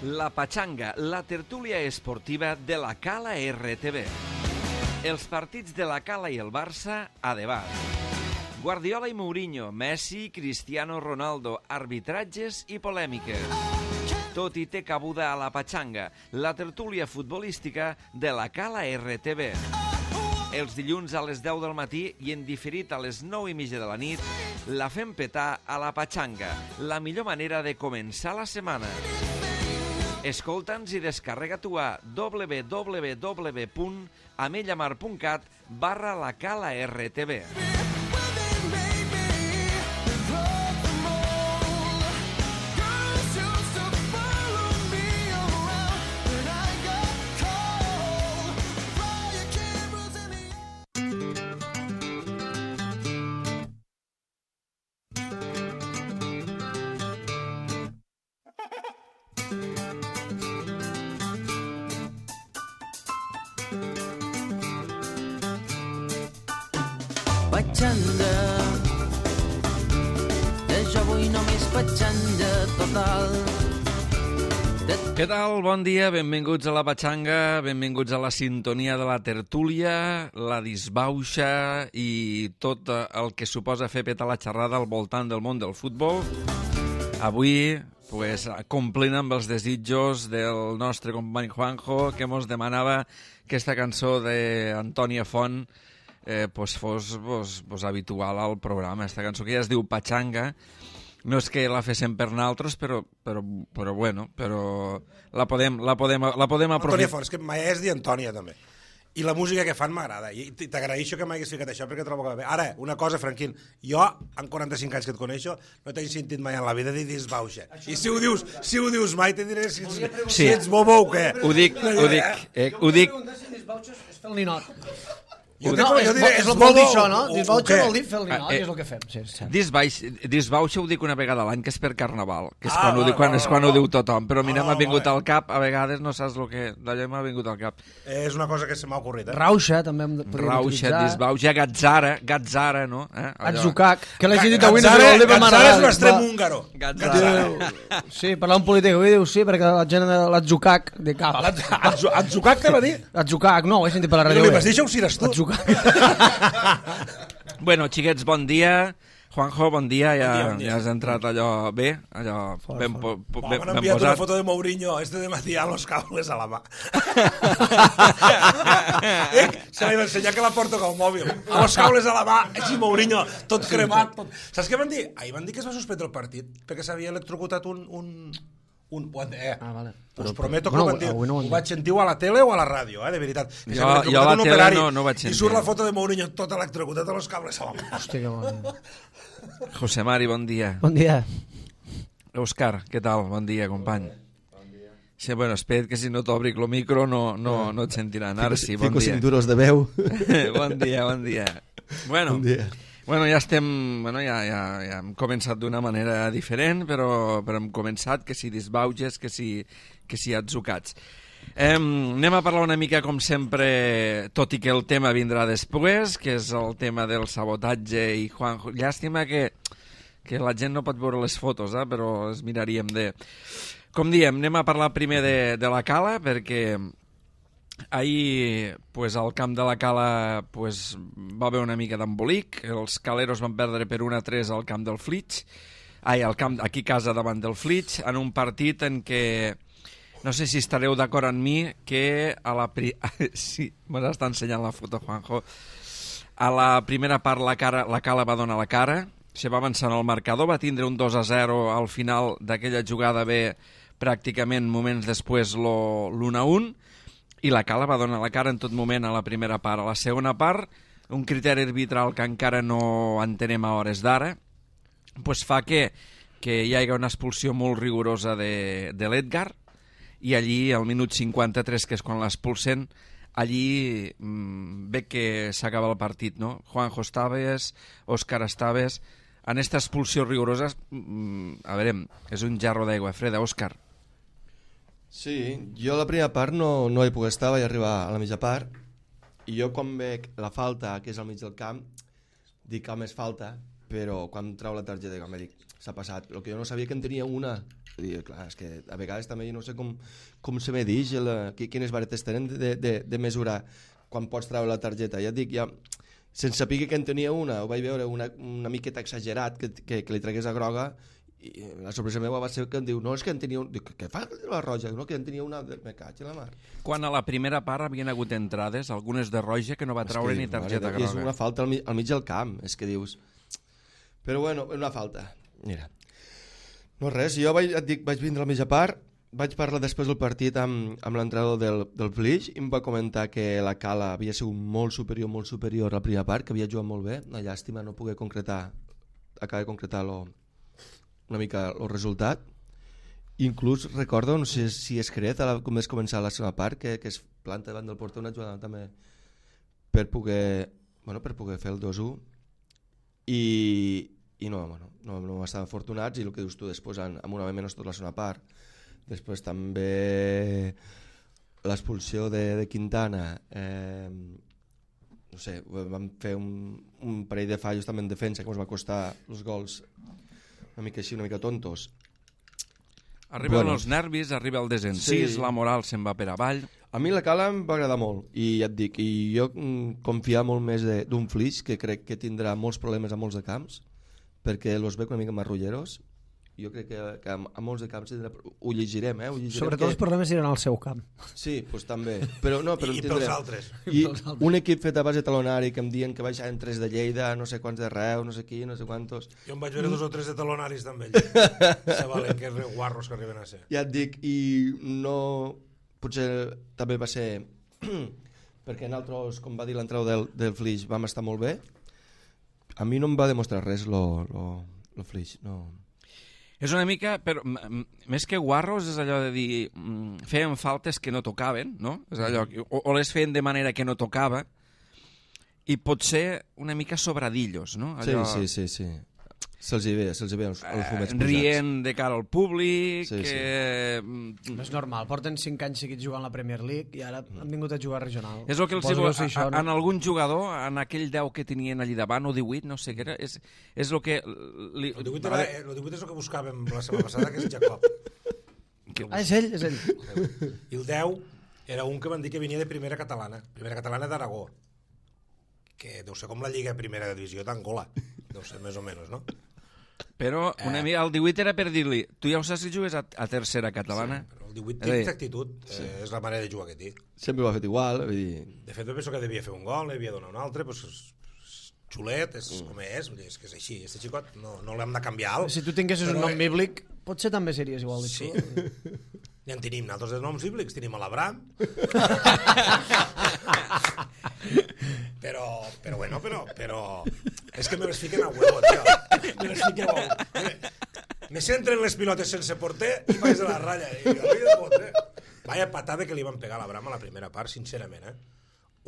La Pachanga, la tertúlia esportiva de la Cala RTV. Els partits de la Cala i el Barça a debat. Guardiola i Mourinho, Messi, Cristiano Ronaldo, arbitratges i polèmiques. Tot hi té cabuda a la Pachanga, la tertúlia futbolística de la Cala RTV. Els dilluns a les 10 del matí i en diferit a les 9:30 de la nit, la fem petar a la Pachanga, la millor manera de començar la setmana. Escolta'ns i descarrega-t'ho a www.amellamar.cat/la Cala RTV. Pachanga, jo vull només pachanga total. Què tal? Bon dia, benvinguts a la Pachanga, benvinguts a la sintonia de la tertúlia, la disbauxa i tot el que suposa fer petar la xerrada al voltant del món del futbol. Avui, complint amb els desitjos del nostre company Juanjo, que mos demanava que aquesta cançó d'Antònia Font fos habitual al programa. Aquesta cançó que ja es diu Pachanga, no és que la féssim per naltros, però la podem aprofitar. Antònia Font, és que mai és dir Antònia, també. I la música que fan m'agrada. I t'agraeixo que m'hagués ficat això, perquè trobo que va bé. Ara, una cosa, Franquín, jo, en 45 anys que et coneixo, no t'he sentit mai en la vida dir disbauxa. I si ho dius mai, te diré si ets bobo o què. Ho dic. Disbauxa és fer el ninot. Jo No, diré, és el vol dir això, no? Disbauxa vol dir fer el ninot, i és el que fem. Disbauxa ho dic una vegada a l'any, que és per Carnaval, que és quan ho diu tothom, però mira, m'ha vingut al cap, a vegades no saps el que d'allò m'ha vingut al cap. És una cosa que se m'ha ocorrit, Rauxa, també podríem utilitzar. Rauxa, disbauxa, gatzara, no? Atzucac, que l'hagi dit avui no sé vol dir, però Gatzara és un extrem húngaro. Sí, parlar un polític, avui diu sí, perquè la gent de l'atzucac de cap. Atzucac te va dir? Atzucac, no, ho he sentit per la ràdio. Li vas dir això o si eres tu? Bueno, xiquets, bon dia. Juanjo, bon dia. Ja has entrat allò bé, allò ben M'han enviat una foto de Mourinho de matí a los cables a la mà. Se li va ensenyar que la porto com mòbil. A los cables a la mà, així Mourinho, tot cremat. Saps què van dir? Ahir van dir que es va suspendre el partit perquè s'havia electrocutat un... vale. Us prometo que ho vaig sentir a la tele o a la ràdio, de veritat. Jo a la tele no vaig sentir. I surt la foto de Mourinho tot electrocutat a los cables a la mà. Hòstia, que bon. José Mari, bon dia. Bon dia. Òscar, què tal? Bon dia, company. Bon dia. Sí, bueno, espera't que si no t'obric el micro no et sentiran. Ara sí, bon dia. Fico cinturos de veu. Bon dia. Bon dia. Bueno, ja hem començat d'una manera diferent, però hem començat que si disbauges, que si atzucats. Anem a parlar una mica, com sempre, tot i que el tema vindrà després, que és el tema del sabotatge i Juanjo. Llàstima que la gent no pot veure les fotos, però les miraríem de... Com diem, anem a parlar primer de la Cala, perquè... Ahir, al camp de la Cala va haver una mica d'embolic. Els caleros van perdre per 1-3 al camp del Flix, aquí a casa davant del Flix, en un partit en què, no sé si estareu d'acord amb mi, que sí, m'està ensenyant la foto, Juanjo. A la primera part la Cala va donar la cara, se va avançar en el marcador, va tindre un 2-0 al final d'aquella jugada bé, pràcticament moments després l'1-1, i la Cala va donar la cara en tot moment a la primera part. A la segona part, un criteri arbitral que encara no entenem a hores d'ara, fa que hi hagi una expulsió molt rigorosa de l'Edgar, i allí, al minut 53, que és quan l'expulsen, allí ve que s'acaba el partit, no? Juanjo, estaves, Òscar, estaves... En aquesta expulsió rigorosa, a veure, és un jarro d'aigua freda, Òscar. Sí, jo la primera part no hi puc estar, vaig arribar a la mitja part, i jo quan veig la falta, que és al mig del camp, dic que és falta, però quan trau la targeta, dic, s'ha passat. El que jo no sabia que en tenia una I, clar, és que a vegades també jo no sé com se medeix, quines varetes tenen de mesurar quan pots treure la targeta. Ja et dic, sense saber que en tenia una, ho vaig veure una miqueta exagerat, que li tragués a groga, i la sorpresa meva va ser que em diu, no, és que en tenia una... Dic, què fa la roja? No, que en tenia una... Me caig a la mar. Quan a la primera part havien hagut entrades, algunes de roja que no va treure ni targeta groga. És una falta al mig del camp, és que dius... Però bueno, una falta. Mira. No res, jo vaig vindre a la mitja part, vaig parlar després del partit amb l'entrenador del Flix i em va comentar que la Cala havia sigut molt superior a la primera part, que havia jugat molt bé. Una llàstima no poder acabar de concretar una mica el resultat. Inclús recordo, no sé si és Cret, com és començar la segona part, que es planta davant del porter una jugada també per poder fer el 2-1 i no estaven afortunats, i el que dius tu després amb un home menys tota la segona part. Després també l'expulsió de Quintana, no sé, vam fer un parell de fallos també en defensa que ens va costar els gols una mica així, una mica tontos. Arriben els nervis, arriba el desencís, la moral se'n va per avall. A mi la Cala em va agradar molt, i ja et dic, i jo confiava molt més d'un Flix, que crec que tindrà molts problemes a molts de camps, perquè els veig una mica marrulleros. Jo crec que a molts de camps ho llegirem, Sobretot els problemes iran al seu camp. Sí, doncs també. Però I pels altres. I un equip fet a base talonari que em diuen que baixaven 3 de Lleida, no sé quants de Reus, no sé qui, no sé quantos. Jo em vaig veure 2 o 3 de talonaris també. Se valen que guarros que arriben a ser. Ja et dic, i no... Potser també va ser... perquè nosaltres, com va dir l'entrenador del Flix, vam estar molt bé. A mi no em va demostrar res el Flix, no... És una mica, però més que guarros és allò de dir feien faltes que no tocaven, no? És allò, o les feien de manera que no tocava, i potser una mica sobradillos, no? Allò, sí. Se'ls hi ve els fumets posats. Rient de cara al públic... Sí. És normal, porten 5 anys seguits jugant la Premier League i ara han vingut a jugar regional. És el que els diu en algun jugador, en aquell 10 que tenien allí davant, o 18, no sé què era, és el que... El 18 és el que buscàvem la setmana passada, que és Jacob. És ell. I el 10 era un que van dir que venia de Primera Catalana d'Aragó, que deu ser com la Lliga Primera Divisió d'Angola, deu ser més o menys, no? Però una mica, el 18 era per dir-li, tu ja ho saps si jugues a Tercera Catalana? Sí, però el 18 té aquesta actitud, és la manera de jugar que té. Sempre ho ha fet igual. De fet, jo penso que devia fer un gol, devia donar un altre, doncs xulet, és com és que és així, este xicot no l'hem de canviar alt. Si tu tinguessis un nom bíblic, potser també series igual de sí. Ja en tenim nosaltres de noms bíblics, tenim l'Abraham. Però bueno, és que me les fiquen a huevo, tio. Me les fiquen a huevo. Me centren les pilotes sense porter i vaig de la ratlla. Vaya patada que li van pegar a l'Abraham a la primera part, sincerament,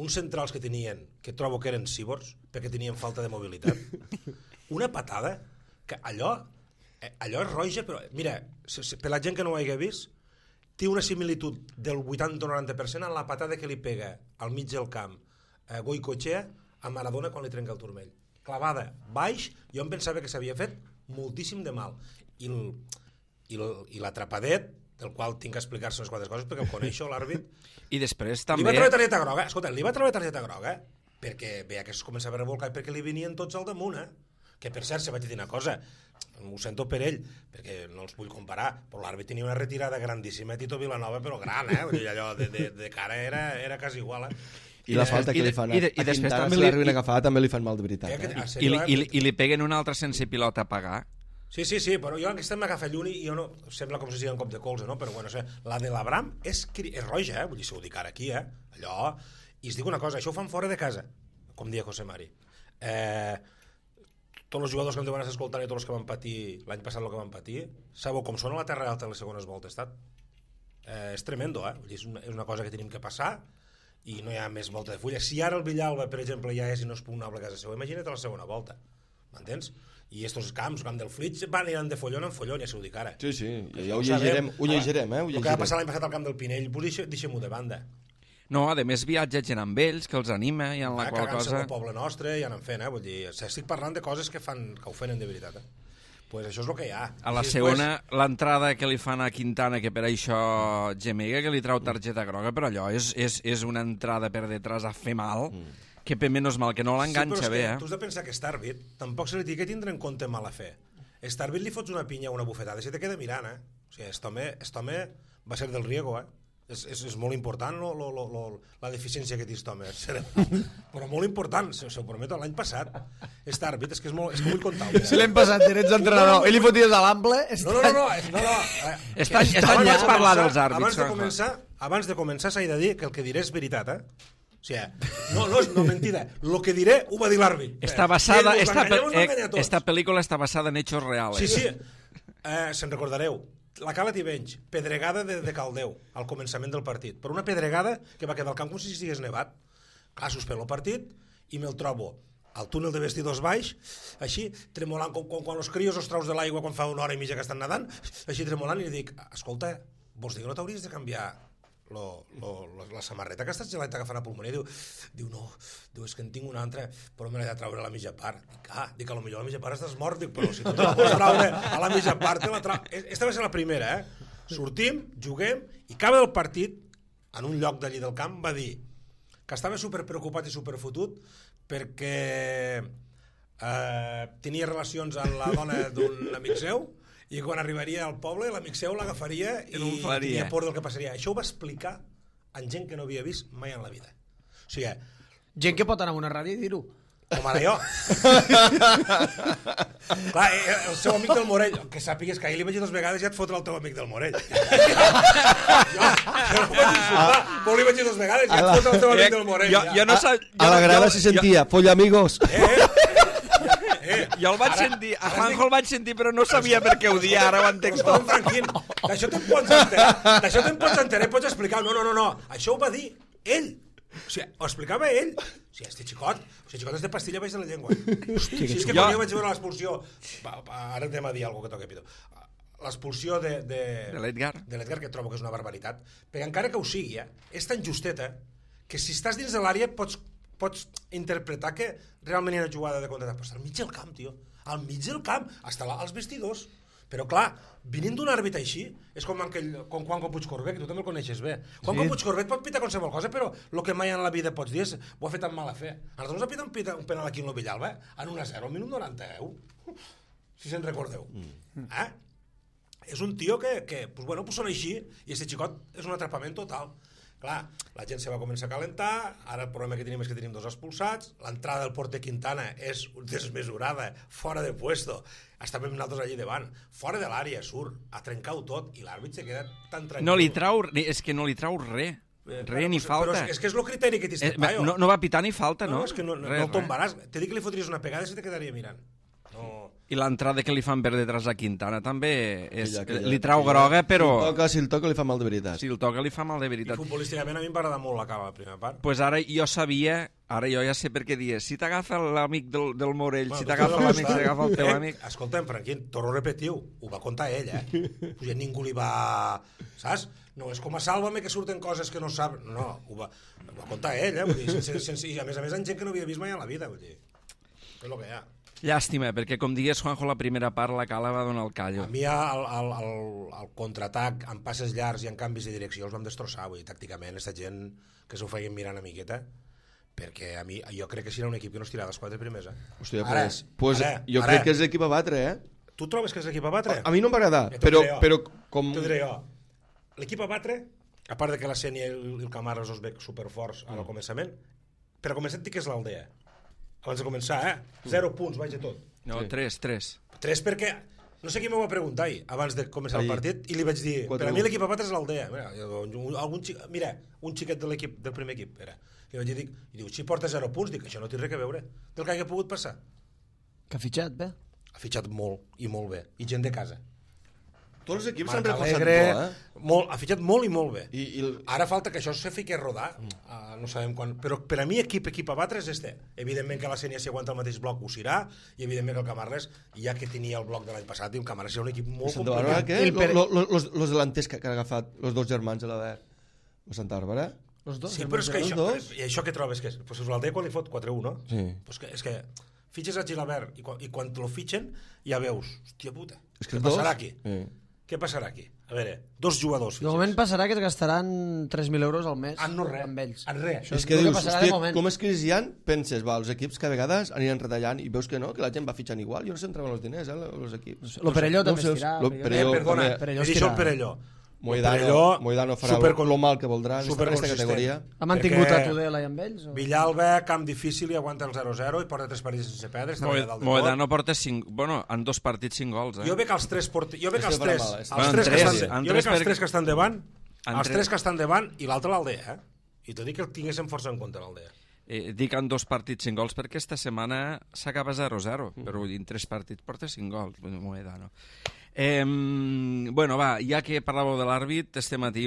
uns centrals que tenien, que trobo que eren cíborgs, perquè tenien falta de mobilitat. Una patada, que allò és roja, però mira, per la gent que no ho hagi vist, té una similitud del 80 o 90% en la patada que li pega al mig del camp Goicoechea a Maradona quan li trenca el turmell. Clavada baix, jo em pensava que s'havia fet moltíssim de mal. I l'atrapadet, del qual tinc que explicar-se unes quantes coses, perquè el coneixo, l'àrbit. I després també... Li va treure targeta groga, escolta, perquè veia que es començava a revolcar i perquè li venien tots al damunt, que per cert, se vaig dir una cosa, ho sento per ell, perquè no els vull comparar, però l'àrbit tenia una retirada grandíssima a Tito Vilanova, però gran, allò de cara era quasi igual, I la falta que li fan a Quintana, si l'arriben a agafar, també li fan mal de veritat. I li peguen una altra sense pilota a pagar. Sí, però jo aquesta m'agafa lluny i jo no... Sembla com si sigui un cop de colze, no? Però bueno, la de l'Abraham és roja, vull dir, si ho dic ara aquí, allò... I es diu una cosa, això ho fan fora de casa, com dia José Mari. Tots els jugadors que em deuen estar escoltant i tots els que van patir l'any passat el que van patir, sabeu com sona la Terra Alta a les segones voltes, és tremendo, vull dir, és una cosa que tenim que passar i no hi ha més volta de fulla. Si ara el Villalba, per exemple, ja és inexpugnable a casa seva, imagina't la segona volta, m'entens? I estos camps, el camp del Flix, aniran de follon en follon, ja s'ho dic ara. Sí, ja ho llegirem, El que va passar l'any passat al camp del Pinell, deixem-ho de banda. No, a més viatja gent amb ells, que els anima, i en la qual cosa... Cagant-se al poble nostre, i anant fent, vull dir, estic parlant de coses que ho fenen de veritat, Pues això és el que hi ha. A la segona, l'entrada que li fan a Quintana, que per això gemega, que li trau targeta groga, però allò és una entrada per detrás a fer mal, que per menys mal que no l'enganxa bé. Tu has de pensar que aquest àrbit tampoc se li té que tindre en compte mala fe. Aquest àrbit li fots una pinya o una bufetada i se te queda mirant, O sigui, aquest home va ser del riego, És molt important la deficiència que té aquest home, però molt important, s'ho prometo, l'any passat. Aquest àrbit, és que vull contar-ho. Si l'hem passat, eres entrenador, i li foties a l'ample... No. Vaig parlar dels àrbits. Abans de començar s'ha de dir que el que diré és veritat, O sigui, no és mentida. Lo que diré ho va dir l'àrbit. Esta pel·lícula està basada en hechos reales. Sí. Se'n recordareu. La Cala Tivenys, pedregada de Caldeu, al començament del partit. Per una pedregada que va quedar al camp com si estigués nevat. Clar, suspèn el partit i me'l trobo al túnel de vestidors baix, així, tremolant, com quan els crios els traus de l'aigua quan fa una hora i mitja que estan nedant, així tremolant, i li dic, escolta, vols dir que no t'hauries de canviar la samarreta que estàs geleta agafant a pulmoner? Diu, no, és que en tinc una altra, però me l'he de traure a la mitja part. Dic, a lo millor a la mitja part estàs mort, però si tu te la pots traure a la mitja part, te la trau... Esta va ser la primera, Sortim, juguem, i acaba el partit, en un lloc d'allí del camp, va dir que estava superpreocupat i superfotut perquè tenia relacions amb la dona d'un amic seu, i quan arribaria al poble l'amic seu l'agafaria i tenia por del que passaria. Això ho va explicar en gent que no havia vist mai en la vida. O sigui, gent que pot anar a una ràdio i dir-ho. Com ara jo. Clar, el seu amic del Morell, que sàpigues que ahir li vaig dir 2 vegades i ja et fotre el teu amic del Morell. Jo no vaig insultar, però li vaig dir 2 vegades i ja et fotre el teu amic del Morell. A la grada se sentia, folla amigos. Jo el vaig sentir, a Juanjo el vaig sentir, però no sabia per què ho dia, ara ho entenc tot. Tranquil, d'això te'n pots enterar, pots explicar. No, això ho va dir ell. O sigui, ho explicava ell. O sigui, este xicot és de pastilla baix de la llengua. Hòstia, si és que quan jo vaig veure l'expulsió, ara anem a dir alguna que toca, Pito, l'expulsió de l'Edgar, que trobo que és una barbaritat, perquè encara que ho sigui, és tan justeta que si estàs dins de l'àrea pots interpretar que realment hi ha una jugada de contraatac, però està al mig del camp, tio, al mig del camp, està als vestidors. Però clar, venint d'un àrbit així, és com Juanjo Puigcorbet, que tu també el coneixes bé. Juanjo Puigcorbet pot pitar qualsevol cosa, però el que mai en la vida pots dir és ho ha fet amb mala fe. A nosaltres ha pitat un penal aquí en l'Ovillalba, en 1-0, al minut 90, si se'n recordeu. És un tio que són així, i aquest xicot és un atrapament total. Clar, la gent se va començar a calentar, ara el problema que tenim és que tenim 2 expulsats, l'entrada del porter Quintana és desmesurada, fora de puesto, estàvem nosaltres allí davant, fora de l'àrea, surt, a trencar-ho tot, i l'àrbit se queda tan tranquil. És que no li trau res ni falta. Però és que és el criteri que t'hi este paio. No va pitar ni falta, no? No, és que no el tombaràs. T'he dit que li fotries una pegada i se te quedaria mirant. I l'entrada que li fan per detrás a Quintana també li trau groga, però... Si el toca li fa mal de veritat. Si el toca li fa mal de veritat. I futbolísticament a mi em va agradar molt la cala, la primera part. Pues ara jo ja sé per què dies. Si t'agafa l'amic del Morell, si t'agafa l'amic, si t'agafa el teu amic... Escolta'm, Franquín, torno a repetir-ho. Ho va contar ell, Pues ningú li va... Saps? No és com a Sálvame que surten coses que no sap... No, ho va contar ell, Vull dir, i a més en gent que no havia vist mai en la vida, vull dir. És el que hi ha. Llàstima, perquè com digués Juanjo, la primera part la Cala va donar el callo. A mi el contraatac amb passes llargs i en canvis de direcció els vam destrossar, vull dir, tàcticament, aquesta gent que s'ho feien mirant una miqueta, perquè jo crec que serà un equip que no es tirarà les 4 primers. Hòstia, pues jo crec que és l'equip a batre, Tu trobes que és l'equip a batre? A mi no m'agrada, però com... T'ho diré jo. L'equip a batre, a part de que la Sènia i el Camara els veig superforts al començament, per a començar et dic que és l'Aldea. Abans de començar, 0 punts, vaig de tot. No, 3. 3 perquè... No sé qui m'ho va preguntar abans de començar el partit, i li vaig dir, per a mi l'equip a batre és l'Aldea. Mira, un xiquet de l'equip, del primer equip, era. Li vaig dir, i diu, si porta 0 punts, dic, això no té res a veure del que hagi pogut passar. Que ha fitxat bé? Ha fitxat molt, i molt bé, i gent de casa. Tots els equips s'han reforçat molt, ha fitxat molt i molt bé. Ara falta que això se fiqui a rodar, no sabem quan, però per a mi equip a batre és este. Evidentment que la Sènia si aguanta el mateix bloc ho serà, i evidentment que el Camarles, ja que tenia el bloc de l'any passat, el Camarles era un equip molt complicat. Los delanters que han agafat els 2 germans de l'Aver, el Santa Bàrbara? Sí, però és que això, i això que trobes que és? Pues l'Aldea quan li fot 4-1, no? Sí. Pues és que fitxes a Gilabert i quan lo fitxen ja veus, hòstia puta, És que què passarà aquí? Què passarà aquí? A veure, 2 jugadors fitxes. De moment passarà que es gastaran 3.000 euros al mes no res, amb ells. en res. És que dius, hòstia, com és crisis hi ha, penses, els equips que a vegades aniran retallant i veus que no, que la gent va fitxant igual, jo no sé on treuen els diners, els equips. Lo Perelló també es tirà. Perdona, he dit el Perelló. Moidano farà lo mal que voldrà aquesta categoria. Ha mantingut a Tudela i amb ells? Villalba, camp difícil i aguanta el 0-0 i porta 3 partits sense perdre. Moedano porta 5... Bueno, en 2 partits 5 gols, Jo veig els 3 que estan davant, i l'altre l'Aldea, i t'ho dic que el tinguéssim força en compte, l'Aldea. Dic en 2 partits 5 gols perquè esta setmana s'acaba 0-0, però en 3 partits porta 5 gols, Moedano. Bueno, va, ja que parlàveu de l'àrbit, este matí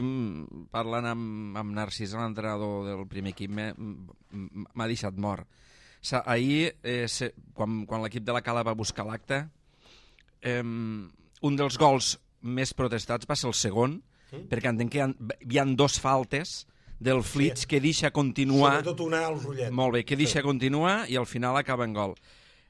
parlant amb Narcís, l'entrenador del primer equip, m'ha deixat mort. Ahir, quan l'equip de la Cala va buscar l'acte, un dels gols més protestats va ser el segon, perquè entenc que hi ha 2 faltes del Flix que deixa continuar... Sobretot una al Rullet. Molt bé, que deixa continuar i al final acaba en gol.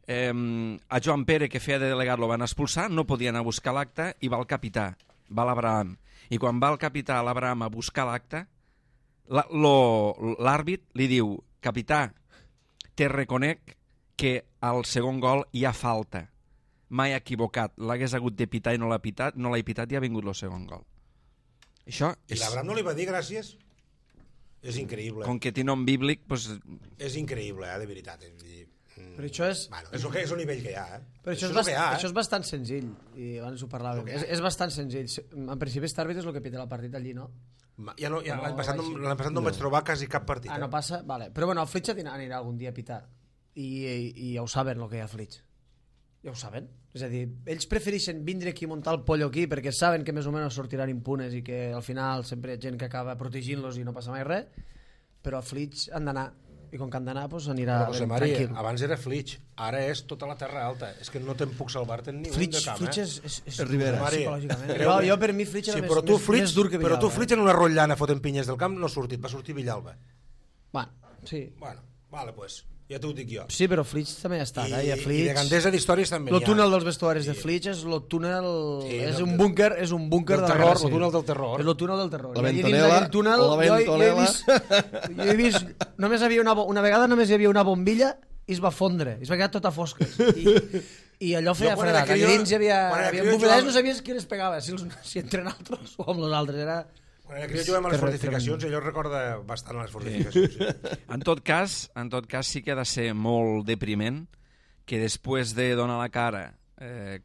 A Joan Pere, que feia de delegat, lo van expulsar, no podia anar a buscar l'acte i va el capità, va l'Abraham. I quan va el capità, l'Abraham, a buscar l'acte, l'àrbit li diu: capità, te reconec que al segon gol hi ha falta. Mai equivocat. L'hagués hagut de pitar i no l'ha pitat i ha vingut el segon gol. Això I l'Abraham no li va dir gràcies? És increïble. Com que té nom bíblic, doncs... És increïble, de veritat. Però això és... Bueno, és el nivell que hi ha, Però això és bastant senzill, i abans ho parlàvem. És bastant senzill. En principi, aquest àrbit és el que pita el partit allí, no? L'any passat no em vaig trobar quasi cap partit. No passa? Vale. Però bueno, el Flix anirà algun dia a pitar. I ja ho saben, el que hi ha a Flix. Ja ho saben. És a dir, ells prefereixen vindre aquí i muntar el pollo aquí perquè saben que més o menys sortiran impunes i que al final sempre hi ha gent que acaba protegint-los i no passa mai res, però a Flix han d'anar. I com que han d'anar, doncs anirà tranquil. Abans era Flix, ara és tota la Terra Alta. És que no te'n puc salvar-te'n ni un de camp. Flix és Ribera, psicològicament. Jo per mi Flix era més dur que Villalba. Però tu Flix en una rotllana fotent pinyes del camp no ha sortit, va sortir Villalba. Bueno, sí. Bueno, vale, pues, ja t'ho dic jo. Sí, però Flix també ha estat. I de Gandesa d'històries també hi ha. El túnel dels vestuaris de Flix és el túnel... És un búnquer de la guerra civil. El túnel del terror. És el túnel del terror. La ventonela. Jo he vist... Només hi havia una vegada només hi havia una bombilla i es va fondre. Es va quedar tot a fosques. I allò feia fredat. Allà dins hi havia bombilles, no sabies qui les pegava, si entre nosaltres o amb els altres. Era... Quan era que jo juguem a les fortificacions, allò recorda bastant a les fortificacions. Sí. En tot cas, sí que ha de ser molt depriment que després de donar la cara,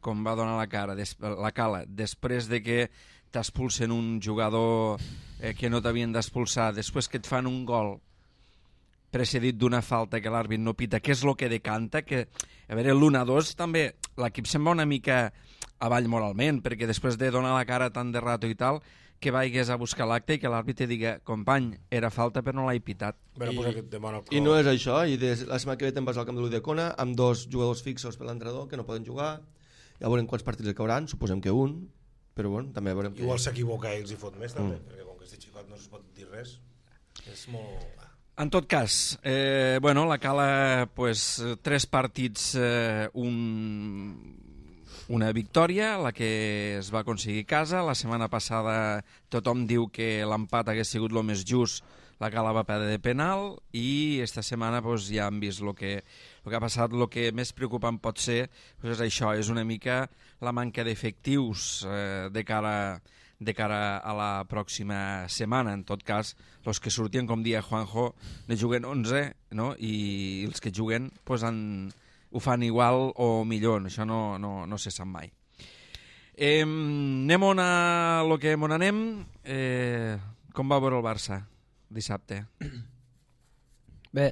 com va donar la cara, la Cala, després de que t'expulsen un jugador que no t'havien d'expulsar, després que et fan un gol precedit d'una falta que l'àrbit no pita, que és el que decanta, que, a veure, l'1-2 també, l'equip se'n va una mica avall moralment, perquè després de donar la cara tan de rato i tal, que vagis a buscar l'acte i que l'àrbit te diga: company, era falta però no l'he pitat. I no és això, i la setmana que ve te'n vas al camp de l'Udecona amb 2 jugadors fixos per l'entrenador que no poden jugar, ja veurem quants partits cauran, suposem que un, però bueno, també veurem que... Igual s'equivoca i els hi fot més també, perquè com que este xicot no es pot dir res, és molt... En tot cas, bueno, la Cala, pues, 3 partits, una victòria, la que es va aconseguir a casa. La setmana passada tothom diu que l'empat hagués sigut el més just, la Cala va perdre de penal, i esta setmana pues, ja hem vist el que ha passat. El que més preocupant pot ser pues, és això, és una mica la manca d'efectius de cara a la pròxima setmana. En tot cas, els que surtien, com dia Juanjo, ne juguen 11, no? I els que juguen pues, ho fan igual o millor, això no se sap mai. Anem a lo que on anem. Com va veure el Barça dissabte? Bé,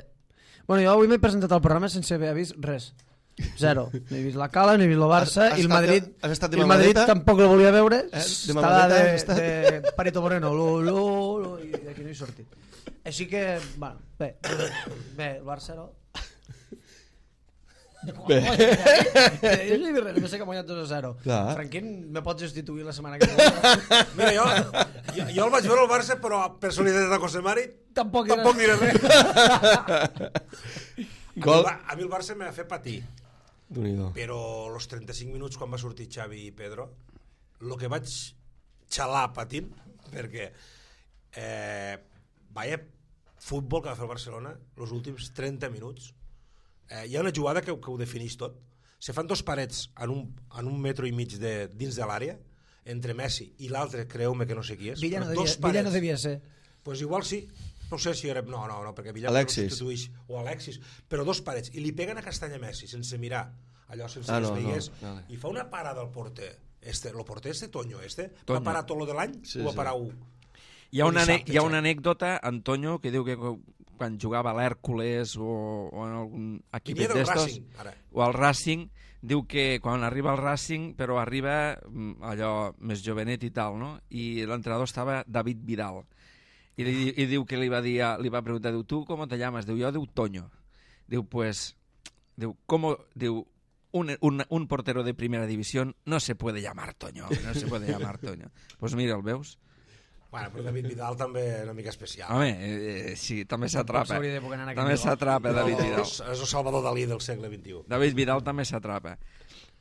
bueno, jo avui m'he presentat al programa sense haver vist res. 0. No he vist la Cala, no he vist el Barça, i el Madrid tampoc el volia veure. Estava de Parito Moreno, i d'aquí no he sortit. Així que, bueno, bé, el Barça no. Bé. Només sé que ha guanyat 2-0. Franquín, me pots substituir la setmana que ve? Mira, jo el vaig veure al Barça, però per solidaritat a José Mari tampoc diré res. A mi el Barça m'ha fet patir. Déu-n'hi-do. Però els 35 minuts quan va sortir Xavi i Pedro, el que vaig xalar patint, perquè vaya futbol que va fer el Barcelona els últims 30 minuts. Hi ha una jugada que ho defineix tot. Se fan dos parets en un metro i mig dins de l'àrea, entre Messi i l'altre, creu-me que no sé qui és. Villa no devia ser. Pues igual sí. No sé si era... No, perquè Villa Alexis. no substituïx, o Alexis, però dos parets, i li peguen a Castanya Messi, sense mirar, allò sense que es veiés, i fa una parada al porter. El porter Toño, va parar tot lo de l'any, o va parar un? Hi ha una anècdota, Antonio, que diu que quan jugava a l'Hèrcules o en algun equip d'estos, o al Racing, diu que quan arriba al Racing, però arriba allò més jovenet i tal, no? I l'entrenador estava David Vidal. I diu que li va preguntar, diu, tu com te llamas? Diu, jo diu Toño. Diu, pues, un portero de primera división no se puede llamar Toño, Pues mira, el veus? Bueno, però David Vidal també una mica especial. Home, sí, també s'atrapa. També s'atrapa David Vidal. És el Salvador Dalí del segle XXI. David Vidal també s'atrapa.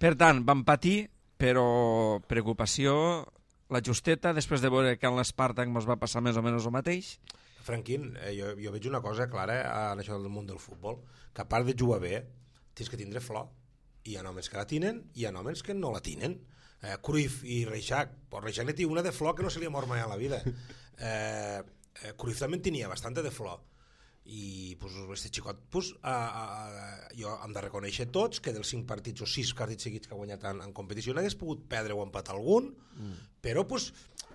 Per tant, van patir, però preocupació, la justeta, després de veure que en l'Spartak ens va passar més o menys el mateix. Franquín, jo veig una cosa clara en això del món del futbol, que a part de jugar bé, tens que tindre flor. Hi ha homes que la tenen i hi ha homes que no la tenen. Cruyff i Reixac, pues Reixac ne té una de flor que no se li ha mort mai a la vida. Cruyff també en tenia bastante de flor. I pues, este xicot, pues, jo hem de reconèixer tots que dels 5 partits o 6 partits seguits que ha guanyat en competició n'hagués pogut perdre o empatar algun, però pues,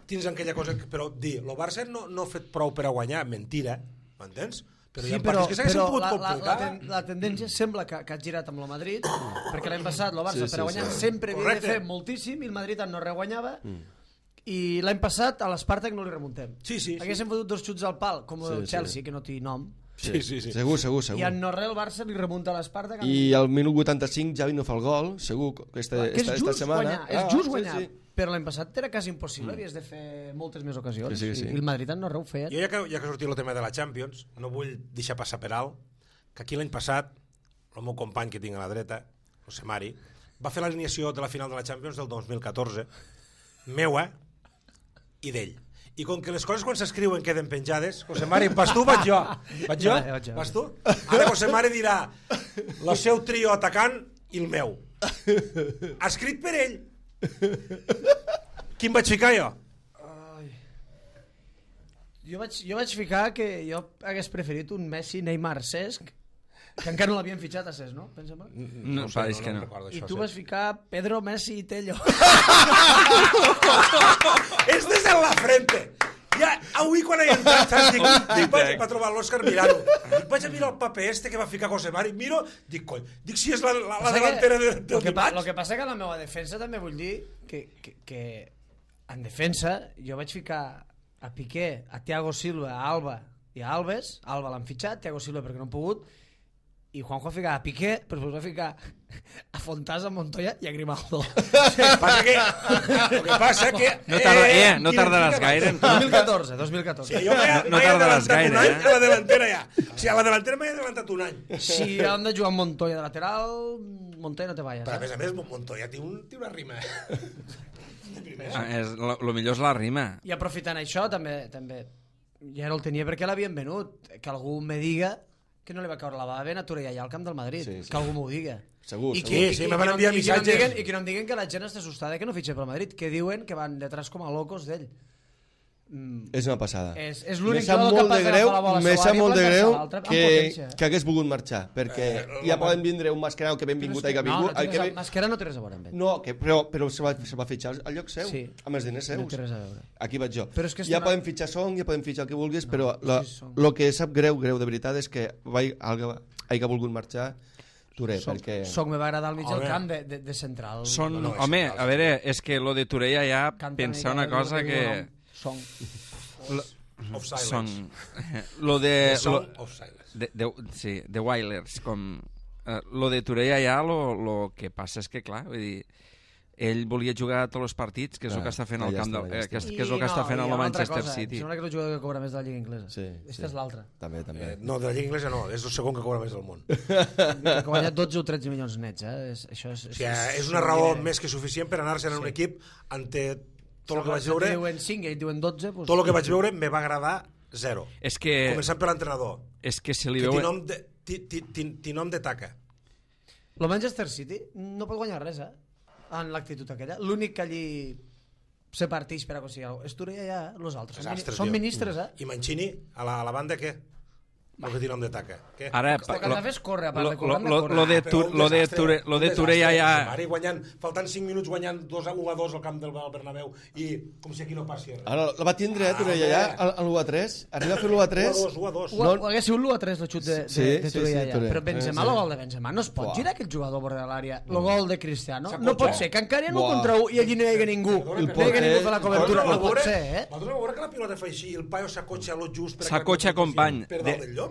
tens aquella cosa que, però dir, el Barça no ha fet prou per a guanyar, mentira, m'entens? Però hi ha partits que s'haguessin pogut complicar. La tendència sembla que ha girat amb el Madrid, perquè l'any passat el Barça per a guanyar sempre havia de fer moltíssim i el Madrid no reguanyava, i l'any passat a l'Spartak no li remuntem. Haguéssim fotut 2 xuts al pal, com el Chelsea, que no té nom. Sí. Segur. I en no-res el Barça li remunta a l'Spartak. I al minut 85 Javi no fa el gol, segur, esta setmana. És just guanyar. Però l'any passat era quasi impossible, havies de fer moltes més ocasions. Sí. I el Madrid no ho feia. Jo ja que sortia el tema de la Champions, no vull deixar passar per alt que aquí l'any passat el meu company que tinc a la dreta, José Mari, va fer l'alineació de la final de la Champions del 2014, meua i d'ell. I com que les coses quan s'escriuen queden penjades, José Mari, vas tu o vaig jo? Vaig jo? Vas tu? Ara José Mari dirà el seu trio atacant i el meu. Escrit per ell. Quin vaig ficar jo? Jo vaig ficar que jo hagués preferit un Messi, Neymar, Cesc, que encara no l'havien fitxat a Cesc, no? Pensa-me. No, pareix que no. I tu vas ficar Pedro, Messi i Tello. Este és en la frente. Ja, avui quan he entrat, saps? Dic, vaig a trobar l'Òscar mirant-ho. Vaig a mirar el paper este que va ficar José Mari, miro, dic, cony, dic si és la delantera del dimarts. El que passa que a la meva defensa també vull dir que en defensa jo vaig ficar a Piqué, a Thiago Silva, a Alba i a Alves. Alba l'han fitxat, Thiago Silva perquè no han pogut, i Juanjo va ficar a Piqué, però després va ficar a Fontàs, a Montoya i a Grimaldo. El que passa que... No tardaràs gaire. 2014. Sí, jo m'he adelantat un any a la delantera ja. O sigui, a la delantera m'he adelantat un any. Si han de jugar amb Montoya de lateral, Montoya no te vayas. Però a més, Montoya té una rima. Lo millor és la rima. I aprofitant això, també ja no el tenia perquè l'havien venut. Que algú me diga que no li va caure la bava ben a Torellà al camp del Madrid. Que algú m'ho diga. Segur. Sí, me van enviar missatges. I que no em diguen que la gent està assustada que no fitxa pel Madrid, que diuen que van detrás com a locos d'ell. És una passada. És l'únic jugador capaç d'agafar la bola a seva àrea. Molt de greu que hagués volgut marxar, perquè ja poden vindre un Mascherano que ben vingut i que ha vingut. No, Mascherano no té res a veure amb ell. No, però se va fitxar al lloc seu, amb els diners seus. No té res a veure. Aquí vaig jo. Ja podem fitxar Song, ja podem fitxar el que vulguis, però el que sap greu de veritat és que hagi volgut marxar Touré, perquè... Song me va agradar al mig del camp de central. Home, a veure, és que lo de Torellà ja pensa una cosa que... Song of silence. Lo de... Song of silence. Sí, de Wailers, com... Lo de Torellà ja, lo que passa és que, clar, vull dir, ell volia jugar tots els partits, que és el que està fent al camp del, que és el que està fent al Manchester City. Sembla que és el jugador que cobra més de la Lliga Inglesa. Sí, Aquesta és l'altra. També. No, de la Lliga Inglesa no, és el segon que cobra més del món. Que ha guanyat 12 o 13 milions nets, Això és una raó més que suficient per anar-se'n en un equip ante tot el que vaig veure. Diuen 5 i diuen 12. Tot el que vaig veure me va agradar zero. És que... Començant per l'entrenador. És que se li Que veu... té nom de taca. El Manchester City no pot guanyar res, en l'actitud aquella. L'únic que allí se parteix per aconseguir alguna cosa és Turella ja, els altres. Són ministres, I Mancini, a la banda, què? El que té nom de taca. Què? Ara, el que han de fer és córrer, a part de córrer. Lo de Turella ja... Ara guanyant, faltant 5 minuts guanyant 1-2 al camp del Bernabéu i com si aquí no passi res. Ara la va tindre, Turella, ja, a l'1-3. Arriba a fer l'1-3. 1-2. Ho hagués sigut l'1-3 el xut de Turella ja. Però Benzema, el gol de Benzema, no es pot girar aquell jugador a bord de l'àrea. El gol de Cristiano. No pot ser, que encara no contra 1 i allí no hi hagi ningú. No hi hagi ningú fer la cobertura. No pot ser, Vosaltres veure que la pilota fa així i el paio s'acotxa a lo just s'acotxa company. Per dalt del llom?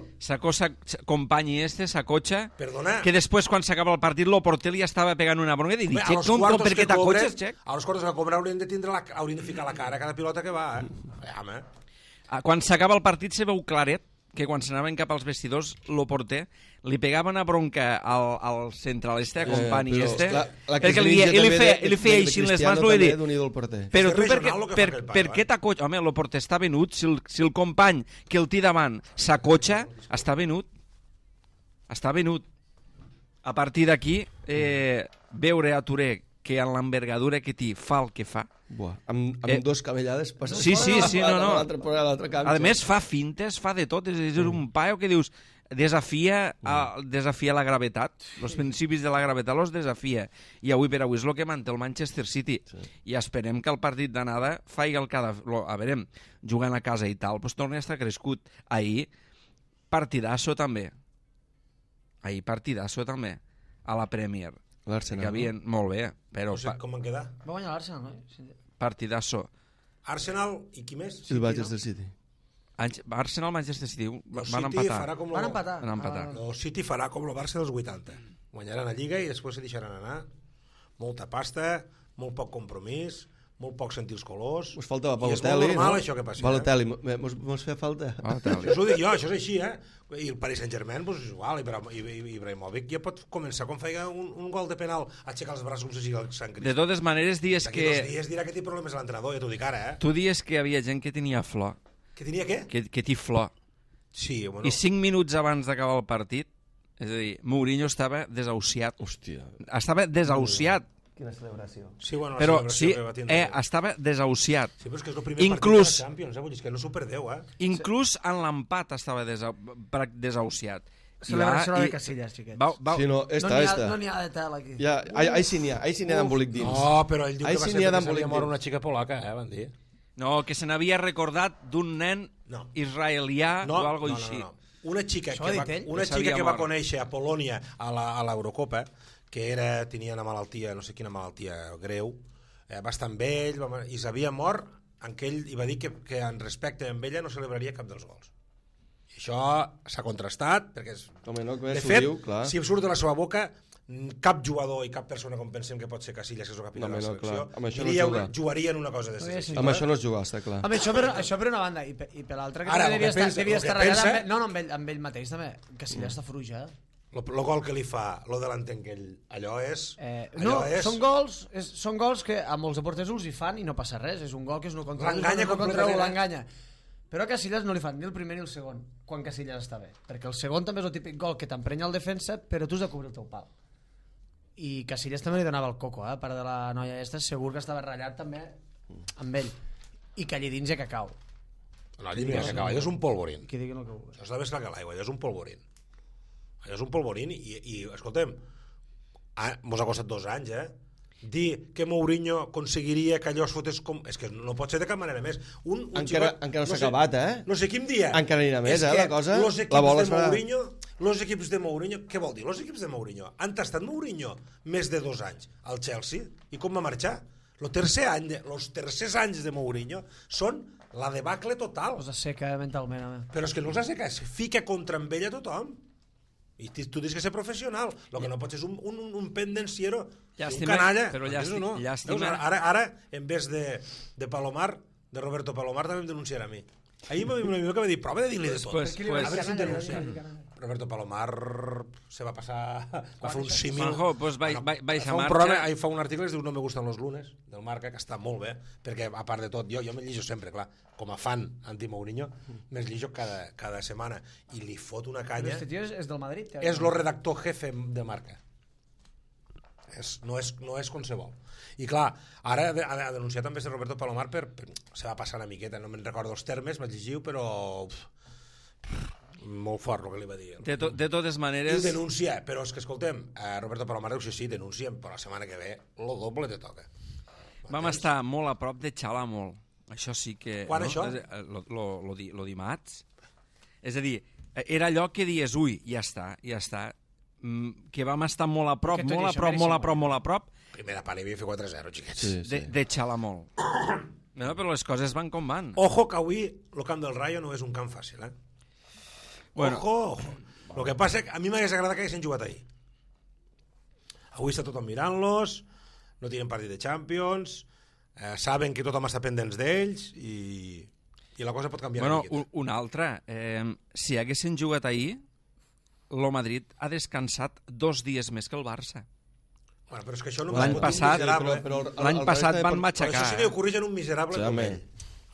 Company s'acotxa, Perdona. que després quan s'acaba el partit el porter li estava pegant una bronca i dic, Xec, per què t'acotxes, Xec? A els quartos que cobren haurien de ficar la cara a cada pilota que va, Quan s'acaba el partit se veu claret que quan s'anaven cap als vestidors el porter li pegava una bronca al central a company perquè li feia així les mans però tu per què t'acotxes? Home, el porter està venut, si el company que el té davant s'acotxa, està venut. A partir d'aquí veure a Touré que en l'envergadura que té fa el que fa. Amb dos camellades passa. Sí, no. A més fa fintes, fa de tot, és un paio que dius desafia la gravetat, els principis de la gravetat els desafia, i avui per avui és el que manté el Manchester City, i esperem que el partit d'anada faci el que ha de... A veure, jugant a casa i tal, doncs torni a estar crescut. Ahir, partidasso també, a la Premier. L'Arsenal. Que havien... Molt bé, però... No sé com van quedar. Va guanyar l'Arsenal, no? Partidasso. Arsenal i qui més? El Manchester City. Arsenal, Manchester City van empatar. Van empatar. El City farà com el Barça dels 80. Guanyaran la Lliga i després se deixaran anar. Molta pasta, molt poc compromís, molt poc sentir els colors. Us faltava Balotelli, no? I és molt normal això que passi. Balotelli, mos feia falta. Això ho dic jo, això és així, I el Paris Saint-Germain, doncs és igual, i Ibrahimovic ja pot començar com feia un gol de penal, aixecar els braços com si sigui el Sant Crist. De totes maneres, dies que... D'aquí 2 dies dirà que té problemes a l'entrenador, ja t'ho dic ara, Tu dies que hi havia gent que tenia flor. Que tenia què? Que té flor. Sí, bueno. I 5 minuts abans d'acabar el partit, és a dir, Mourinho estava desahuciat. Hòstia. Estava desahuciat. Quina celebració. Sí, bueno, però sí, que va tindre. Estava desahuciat. Sí, però és que és el primer partit de la Champions, vull dir, que no s'ho perdeu, Inclús en l'empat estava desahuciat. Celebració de Casillas, xiquets. Sí, no, no n'hi ha de tel aquí. Ahí sí n'hi ha d'embolic dins. No, però ell diu que va ser perquè s'havia mort una xica polaca, van dir. No, que se n'havia recordat d'un nen israelià o alguna cosa així. Una xica que va conèixer a Polònia a l'Eurocopa, que tenia una malaltia, no sé quina malaltia greu, va estar amb ell i s'havia mort en què ell va dir que en respecte amb ella no celebraria cap dels gols. I això s'ha contrastat, perquè de fet, si surt de la seva boca, cap jugador i cap persona com pensem que pot ser Casillas, que és el capità de la selecció, jugaria en una cosa de ser. Amb això no es juga, està clar. Amb això per una banda, i per l'altra que devia estar ratllat amb ell mateix també. Casillas està furuja. El gol que li fa, lo de l'entenquell, allò és... Són gols que a molts deportes els hi fan i no passa res, és un gol que és no contra l'enganya. Però a Casillas no li fan ni el primer ni el segon, quan Casillas està bé. Perquè el segon també és el típic gol que t'emprenya el defensa, però tu has de cobrir el teu pal. I Casillas també li donava el coco, a part de la noia aquesta, segur que estava ratllat també amb ell. I que allà dins hi ha cacau. No, allà no hi ha cacau, allò és un polvorín. Qui digui el que vulgui. Això està més clar que l'aigua, allò és un polvorín. Allò és un polvorín i escoltem, mos ha costat 2 anys, dir que Mourinho aconseguiria que allò es fotés com... És que no pot ser de cap manera més. Encara no s'ha acabat, No sé quin dia. Encara anirà més, la cosa. Los equips de Mourinho... Què vol dir? Los equips de Mourinho han tastat Mourinho més de 2 anys al Chelsea. I com va marxar? Els tercers anys de Mourinho són la debacle total. Els asseca mentalment. Però és que no els asseca, es fica contra amb ella tothom. I tu tens que ser professional. El que no pots és un pendenciero, Llàstima, un canalla. però No? llàstima. Veus, ara, en vez de Palomar, de Roberto Palomar, també em denunciarà a mi. Ahir m'ho va dir, prova de dir-li de tot. Pues, A veure si em denuncia. Roberto Palomar se va passar, va fer un símil. Juanjo, pues baixa fa un marxa. programa, fa un article que es diu No me gustan los lunes, del Marca, que està molt bé, perquè a part de tot, jo me llijo sempre, clar, com a fan anti-Mourinho, me'ls llijo cada setmana, i li fot una Però canya. este tio és del Madrid. És el redactor jefe de Marca. No és qualsevol. I clar, ara ha denunciat també Roberto Palomar se va passar una miqueta, no me'n recordo els termes, vaig llegir, però molt fort el que li va dir. De totes maneres... I ho denuncia, però és que escoltem, Roberto Palomar diu sí, denunciem, però la setmana que ve lo doble te toca. Vam estar molt a prop de xalar molt. Això sí que... Quan, això? Lo dimarts. És a dir, era allò que dies, ui, ja està. Que vam estar molt a prop, molt a prop. Primera part hi havia fet 4-0, xiquets. De xalar molt. No, però les coses van com van. Ojo que avui el camp del Rayo no és un camp fàcil, Bueno. Ojo. El que passa és que a mi m'hagués agradat que haguessin jugat ahir. Avui està tothom mirant-los, no tienen partit de Champions, saben que tothom està pendents d'ells i la cosa pot canviar una miqueta. Una altra. Si haguessin jugat ahir, el Madrid ha descansat 2 dies més que el Barça. Bueno, però és que això no L'any passat van matxacar. Això sí que ho corrigen un miserable com ell.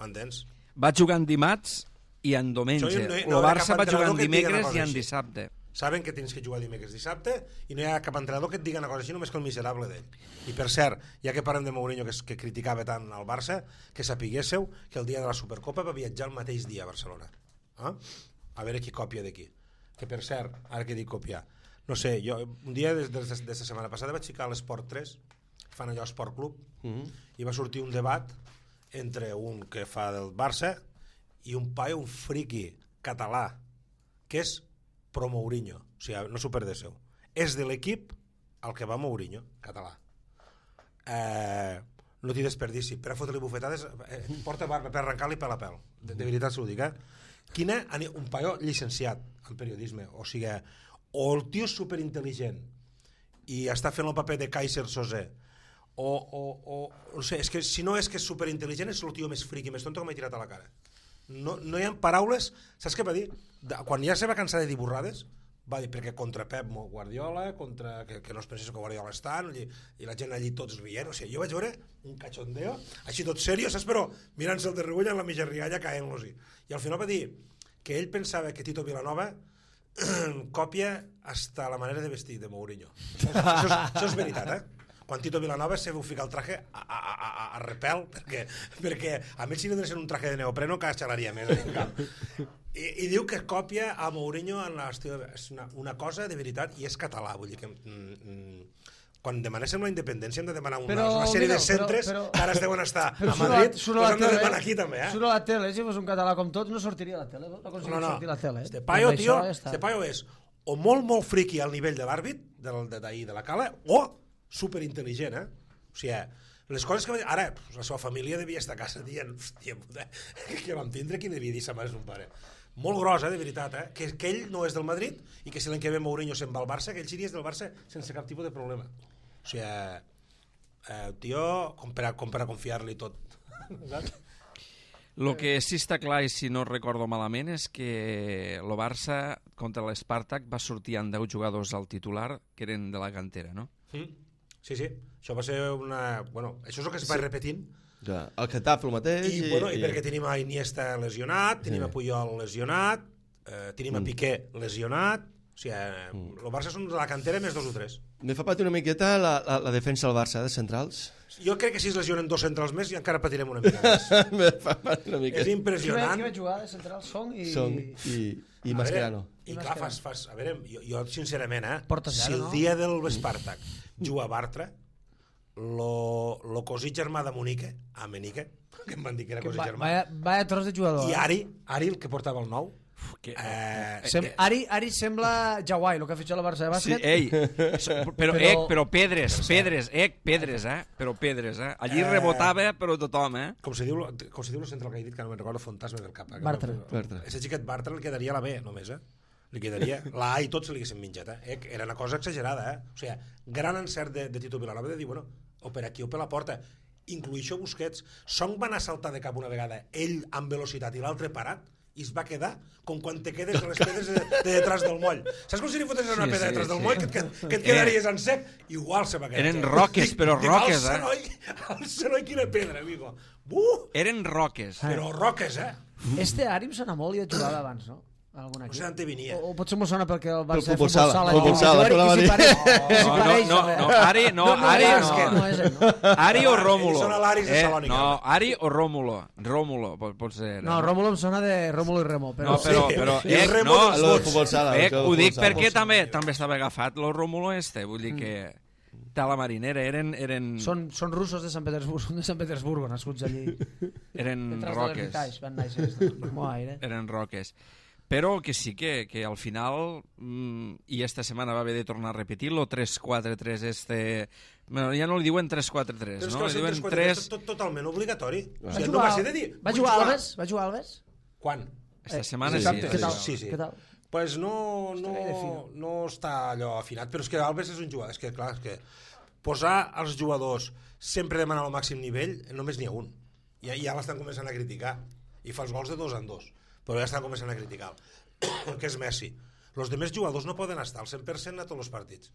Entens? Va jugar en dimarts i en diumenge. El Barça va jugar en dimecres i en dissabte. Saben que tens que jugar dimecres dissabte i no hi ha cap entrenador que et digui una cosa així només que el miserable d'ell. I per cert, ja que parlem de Mourinho que criticava tant al Barça, que sapiguésseu que el dia de la Supercopa va viatjar el mateix dia a Barcelona. A veure qui copia d'aquí. Que per cert, ara que dic copiar, no sé, jo un dia des de la setmana passada vaig ficar a l'Esport 3, fan allò Esport Club, i va sortir un debat entre un que fa del Barça i un paio, un friqui català, que és pro Mourinho, o sigui, no s'ho perdéssiu. És de l'equip al que va Mourinho, català. No t'hi desperdici, per a fotre-li bufetades, porta barba per arrencar-li pèl a pèl. De veritat s'ho dic, un paio llicenciat en periodisme, o sigui, o el tio és superintel·ligent i està fent el paper de Kaiser Sosé, o no sé, és que si no és que és superintel·ligent és el tio més friqui, més tonto que m'he tirat a la cara. No hi ha paraules. Saps què va dir? Quan ja se va cansar de dir burrades, va dir perquè contra Pep Guardiola, que no es pensés que Guardiola és tant, i la gent allí tots rient, o sigui, jo vaig veure un cachondeo així tot serio, saps, però mirant-se el de regull en la mitja rialla caent-los-hi, i al final va dir que ell pensava que Tito Vilanova còpia hasta la manera de vestir de Mourinho. Això és veritat, quan Tito Vilanova se veu ficar el traje a repel, perquè a més si no donessin un traje de neopreno que xalaria més en camp. I diu que còpia a Mourinho en l'estil. És una cosa de veritat, i és català, vull dir que quan demanéssim la independència hem de demanar una sèrie de centres que ara es deuen estar a Madrid, però hem de demanar aquí també. Surt a la tele, si fos un català com tot no sortiria a la tele, no aconseguim sortir a la tele. Este paio, tio, este paio és o molt friqui al nivell de l'àrbit d'ahir de la Cala, o superintel·ligent, o sigui, les coses que ara la seva família devia estar a casa dient, hòstia puta, que vam tindre, qui devia dir sa mare és un pare molt gros, de veritat, que ell no és del Madrid i que si l'any que ve Mourinho se'n va al Barça, que ell seria del Barça sense cap tipus de problema, o sigui, tio, com per a confiar-li tot. El que sí està clar, i si no recordo malament, és que el Barça contra l'Spartak va sortir amb 10 jugadors al titular que eren de la cantera, no? Sí, això va ser una... Bueno, això és el que es va repetint. Ja, el Getafe el mateix. I perquè tenim a Iniesta lesionat, tenim a Puyol lesionat, tenim a Piqué lesionat, o sigui, el Barça són de la cantera més 2 o 3. Me fa patir una miqueta la defensa del Barça, de centrals. Jo crec que si es lesionen 2 centrals més i encara patirem una mica més. Me fa patir una miqueta. És impressionant. Qui va jugar de centrals? Song i Mascherano. I clar, a veure, jo sincerament, si el dia del Spartak juga a Bartra, lo cosí germà de Monique, que em van dir que era cosí germà. Vaya tros de jugador. I Ari, el que portava el 9, Ari sembla Jawai, el que ha fitxat la Barça de bàsquet. Sí, però Pedres, allí rebotava però tothom, com se diu el central que he dit, que no me'n recordo, Fantasma del cap. Bartra. Ese xiquet Bartra el quedaria a la B només, li quedaria. La A i tot se li haguessin menjat, Era una cosa exagerada, O sigui, gran encert de Tito Vilanova de dir, bueno, o per aquí o per la porta. Incluïixo Busquets. Song va anar a saltar de cap una vegada, ell amb velocitat i l'altre parat, i es va quedar com quan te quedes a les pedres de detrás del moll. Saps com si li fotessis una pedra detrás del moll que et quedaries en sec? Igual se va quedar. Eren roques, però roques, El Senoi, quina pedra, amigo. Eren roques. Però roques, Este Ari em sona molt i he jugat abans, no? Algun No aquí. sé on te venia. O potser m'ho sona perquè el Barça Futbol de sala, futbol futbol sala, sala. com la va dir. No, Ari no. No és ell, no. Ari o Rómulo. Són l'Aris de Salònica. No, Ari o Rómulo. Rómulo, pot ser. No, Rómulo em sona de Rómulo i Remo. Però... No, però I el Remo no, dels Lo de vots. futbol sala. ho dic perquè també estava agafat lo Rómulo vull dir que a la marinera eren Són russos de Sant Petersburgo, nascuts allí. eren Detrás de roques. l'Hermitage, van néixer. Molt aire. Eren roques. Però que sí que al final, i esta setmana va haver de tornar a repetir-lo, 3-4-3 Bueno, ja no li diuen 3-4-3, no? Li diuen 3... Totalment obligatori. O sigui, Va no va ser de dir... Va jugar Alves? Va jugar Alves? Quan? Esta setmana Dissabte, Què tal? Sí. Què tal? Pues no Estaria de fino. està allò afinat, però és que Alves és un jugador, és que clar, és que posar els jugadors sempre demanant el màxim nivell, només n'hi ha un. Ja l'estan començant a criticar, i fa els gols de 2 en 2, però ja estan començant a criticar, que és Messi. Els demés jugadors no poden estar al 100% a tots els partits.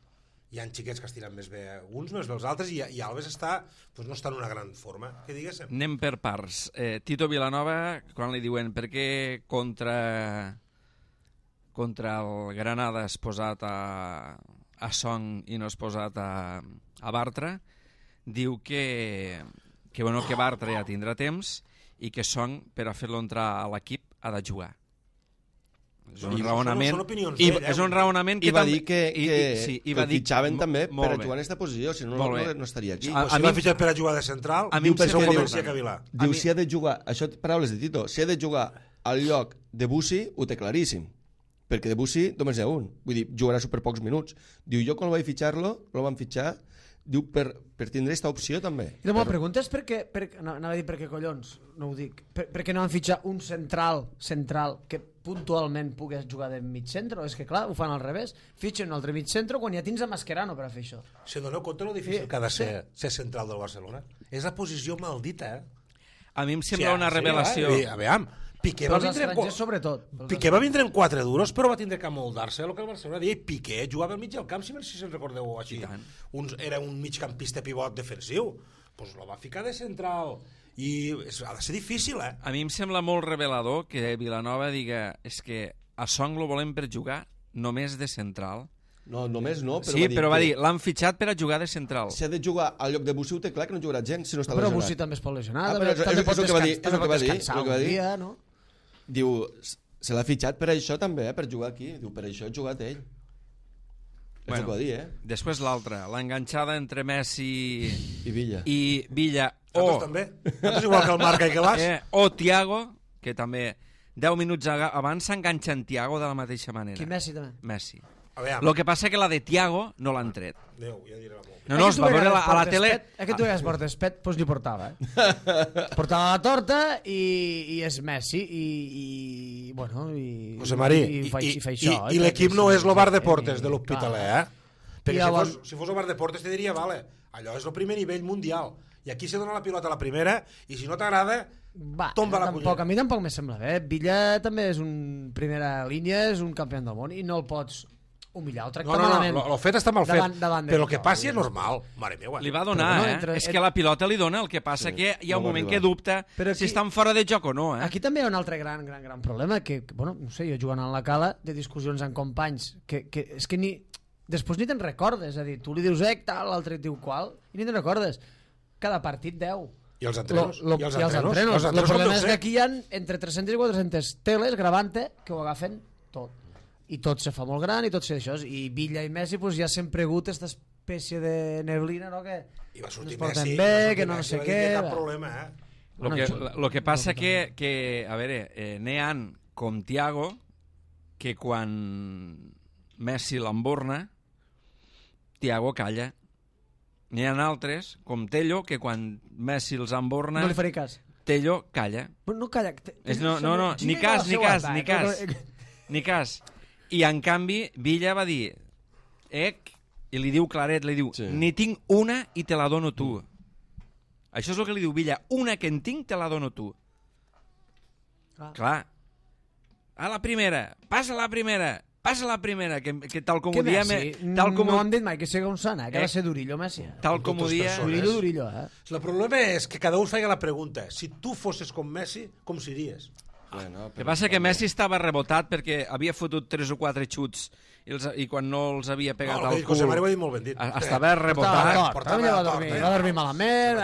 Hi ha xiquets que estiren més bé uns, més bé els altres, i Alves no està en una gran forma, que diguéssim. Anem per parts. Tito Vilanova, quan li diuen per què contra el Granada has posat a Song i no has posat a Bartra, diu que Bartra ja tindrà temps i que Song, per a fer-lo entrar a l'equip, ha de jugar. És un raonament... Són opinions I, d'ell, és un raonament que I va dir que i va el dir, fitxaven també molt per bé. jugar en aquesta posició, si no, no estaria aquí. A Si mi l'ha fitxat per a jugar de central, a mi em pensa sembla un que comenci diu- a cavilar. Diu, si ha de jugar, això paraules de Tito, si ha de jugar al lloc de Bussi, ho té claríssim, perquè de Bussi només n'hi ha un, vull dir, jugarà super pocs minuts. Diu, jo quan vaig fitxar-lo, lo van fitxar, diu, per tindre aquesta opció també. I la meva pregunta és anava a dir per què collons, no ho dic, per què no van fitxar un central que puntualment pogués jugar de mig centre? És que clar, ho fan al revés, fitxen un altre mig centre quan ja tens a Mascherano per a fer això. Se doneu compte lo difícil que ha de ser central del Barcelona? És la posició maldita, A mi em sembla una revelació. Aviam, Piqué Però va els vindre estrangers sobretot. Piqué va vindre en 4 duros, però va tindre que moldar-se el que el Barcelona deia. Piqué jugava al mig del camp, si se'n recordeu així. Era un migcampista pivot defensiu. Doncs lo va ficar de central. I ha de ser difícil, A mi em sembla molt revelador que Vilanova diga és que a Song lo volem per jugar només de central. No, només no, però Sí, però va que dir, l'han fitxat per a jugar de central. si ha de jugar al lloc de Bussi, ho té clar que no jugarà gens si no està Però lesionat. Bussi també es pot lesionar, Ah, però també és pot el que va dir, és el que va dir, descansar és el que va un dir. dia, no? Diu, se l'ha fitxat per això també, per jugar aquí. Diu, per això ha jugat ell. És el que va dir, Després l'altra, l'enganxada entre Messi I Villa. i Villa Nosaltres també. Nosaltres igual que el Marca i que vas. o Thiago, que també 10 minuts abans s'enganxa en Thiago de la mateixa manera. Qui Messi també. Messi. Aviam. Lo que passa que la de Thiago no l'han tret. Déu, ja diré la molt. No, es va veure a la tele... Que tu veus portes pet, doncs li portava, Portava la torta i és Messi i bueno, i... José Marí, i fa això. i l'equip no és el bar de portes de l'Hospitalet, Perquè llavors... si fos el bar de portes te diria, vale, allò és el primer nivell mundial. I aquí se dona la pilota a la primera i si no t'agrada, tomba la cunyera. A mi tampoc me sembla bé. Villa també és un primera línia, és un campió del món i no el pots humillar o tractar malament. No, el fet està mal fet, davant però el que passi és normal. Mare meva. Li va donar, És que la pilota li dona, el que passa que hi ha un moment que dubta si estan fora de joc o no, Aquí també hi ha un altre gran problema, que, bueno, no sé, jo jugant a la cala, de discussions amb companys, que és que després ni te'n recordes, és a dir, tu li dius tal, l'altre et diu qual, i ni te'n recordes. Cada partit 10. I els entrenos? I els entrenos. El problema és que aquí hi ha entre 300 i 400 teles gravant-te que ho agafen tot. I tot se fa molt gran i tot se això. I Villa i Messi pues, ja s'han pregut aquesta espècie de neblina, no? Que I va sortir no es porten Messi, bé, que no sé què. Cap problema, Lo que passa que a veure, n'hi ha com Thiago, que quan Messi l'emborna, Thiago calla. N'hi ha altres, com Tello, que quan Messi els emborna, no li faré cas. Tello calla. No calla. No, ni cas. I en canvi, Villa va dir, i li diu claret, li diu, n'hi tinc una i te la dono tu. Això és el que li diu Villa, una que en tinc te la dono tu. Clar. A la primera, passa la primera, que tal com ho diem... No han dit mai que sigui un sana, que ha de ser Durillo, Messi. Tal com ho dia... Durillo, El problema és que cada un feia la pregunta. Si tu fossis com Messi, com series? El que passa que Messi estava rebotat perquè havia fotut 3 o 4 xuts i quan no els havia pegat al cul... José Mario ho ha dit molt ben dit. Estava rebotat. Va dormir malament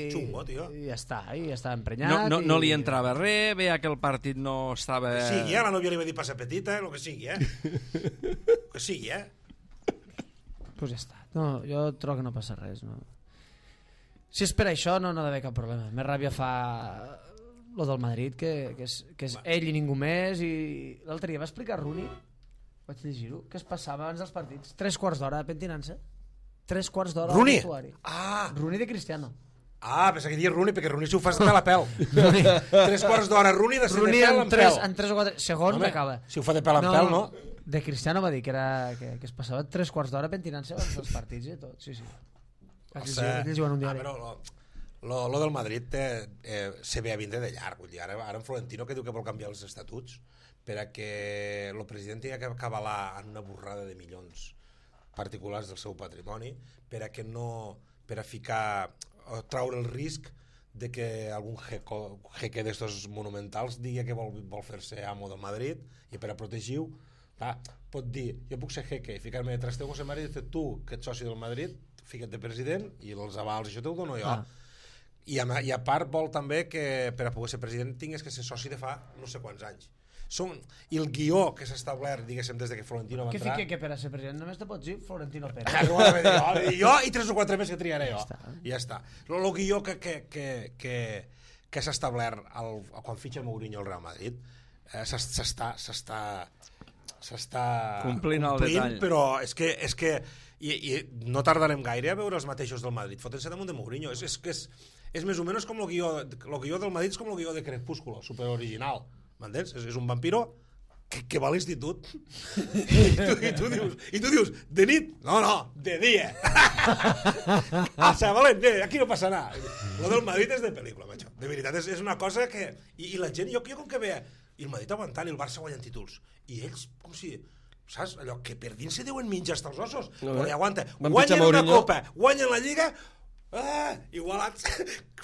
xungo, tio. i ja està, i estava emprenyat. No li entrava res, veia que el partit no estava... Que sigui, la nòvia li va dir passa petita, el que sigui, que sigui, Pues ja està. No, jo trobo que no passa res, no. Si és per això, no ha d'haver cap problema. Més ràbia fa lo del Madrid, que és ell i ningú més, i l'altre dia va explicar Rooney, vaig llegir-ho, què es passava abans dels partits. 3 quarts d'hora pentinant-se. 3 quarts d'hora al vestuari. Rooney de Cristiano. Pensava que diia Rooney, perquè Rooney si ho fas de la pèl. 3 quarts d'hora, Rooney de ser de pèl en pèl. En 3 o 4 segons acaba. Si ho fa de pèl en pèl, no? De Cristiano va dir que es passava 3 quarts d'hora pentinant-se abans dels partits i tot. Sí. Vaig llegir un diari. Lo del Madrid se ve a vindre de llarg. Vull dir, ara en Florentino que diu que vol canviar els estatuts perquè el president ha que avalar en una borrada de milions particulars del seu patrimoni per a ficar o traure el risc de que algun jeque d'estos monumentals digui que vol fer-se amo del Madrid i per a protegir-ho pot dir, jo puc ser jeque i ficar-me de trasteu José María i dir tu que ets soci del Madrid, fica't de president i els avals, això t'ho dono jo. I a part vol també que per a poder ser president tingues que ser soci de fa no sé quants anys. I el guió que s'ha establert, diguéssim, des que Florentino va entrar... Què fica que per a ser president només te pots dir Florentino Pérez? Jo i 3 o 4 més que triaré jo. I ja està. El guió que s'ha establert quan fitxa Mourinho al Real Madrid s'està complint el detall. Però és que no tardarem gaire a veure els mateixos del Madrid fotent-se damunt de Mourinho. És més o menys com el guió del Madrid, és com el guió de Crepúsculo, superoriginal. M'entens? És un vampiro que va a l'institut i tu dius de nit? No, de dia. Valent, aquí no passa nada. Lo del Madrid és de pel·lícula, macho. De veritat, és una cosa que... I la gent, jo com que veia i el Madrid aguantant i el Barça guanyant títols i ells com si... Saps? Allò que per dins se deuen menjar hasta els ossos. Però aguanta. Guanyen una copa, guanyen la Lliga... igualats,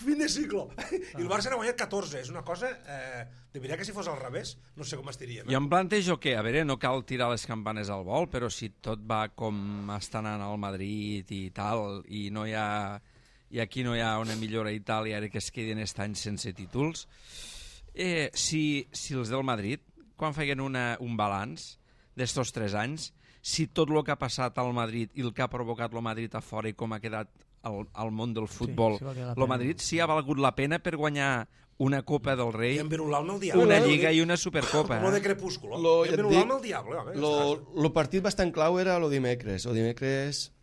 fin de ciclo. I el Barça n'ha guanyat 14. És una cosa, de veritat que si fos al revés no sé com estiríem. Jo em plantejo que, a veure, no cal tirar les campanes al vol, però si tot va com està anant al Madrid i tal, i aquí no hi ha una millora i tal, i ara que es queden aquest any sense títols, si els del Madrid, quan feien un balanç d'estos 3 anys, si tot el que ha passat al Madrid i el que ha provocat el Madrid a fora i com ha quedat al món del futbol, el Madrid sí ha valgut la pena per guanyar una Copa del Rei, una Lliga i una Supercopa. Com de Crepúsculo. El partit bastant clau era el dimecres. El dimecres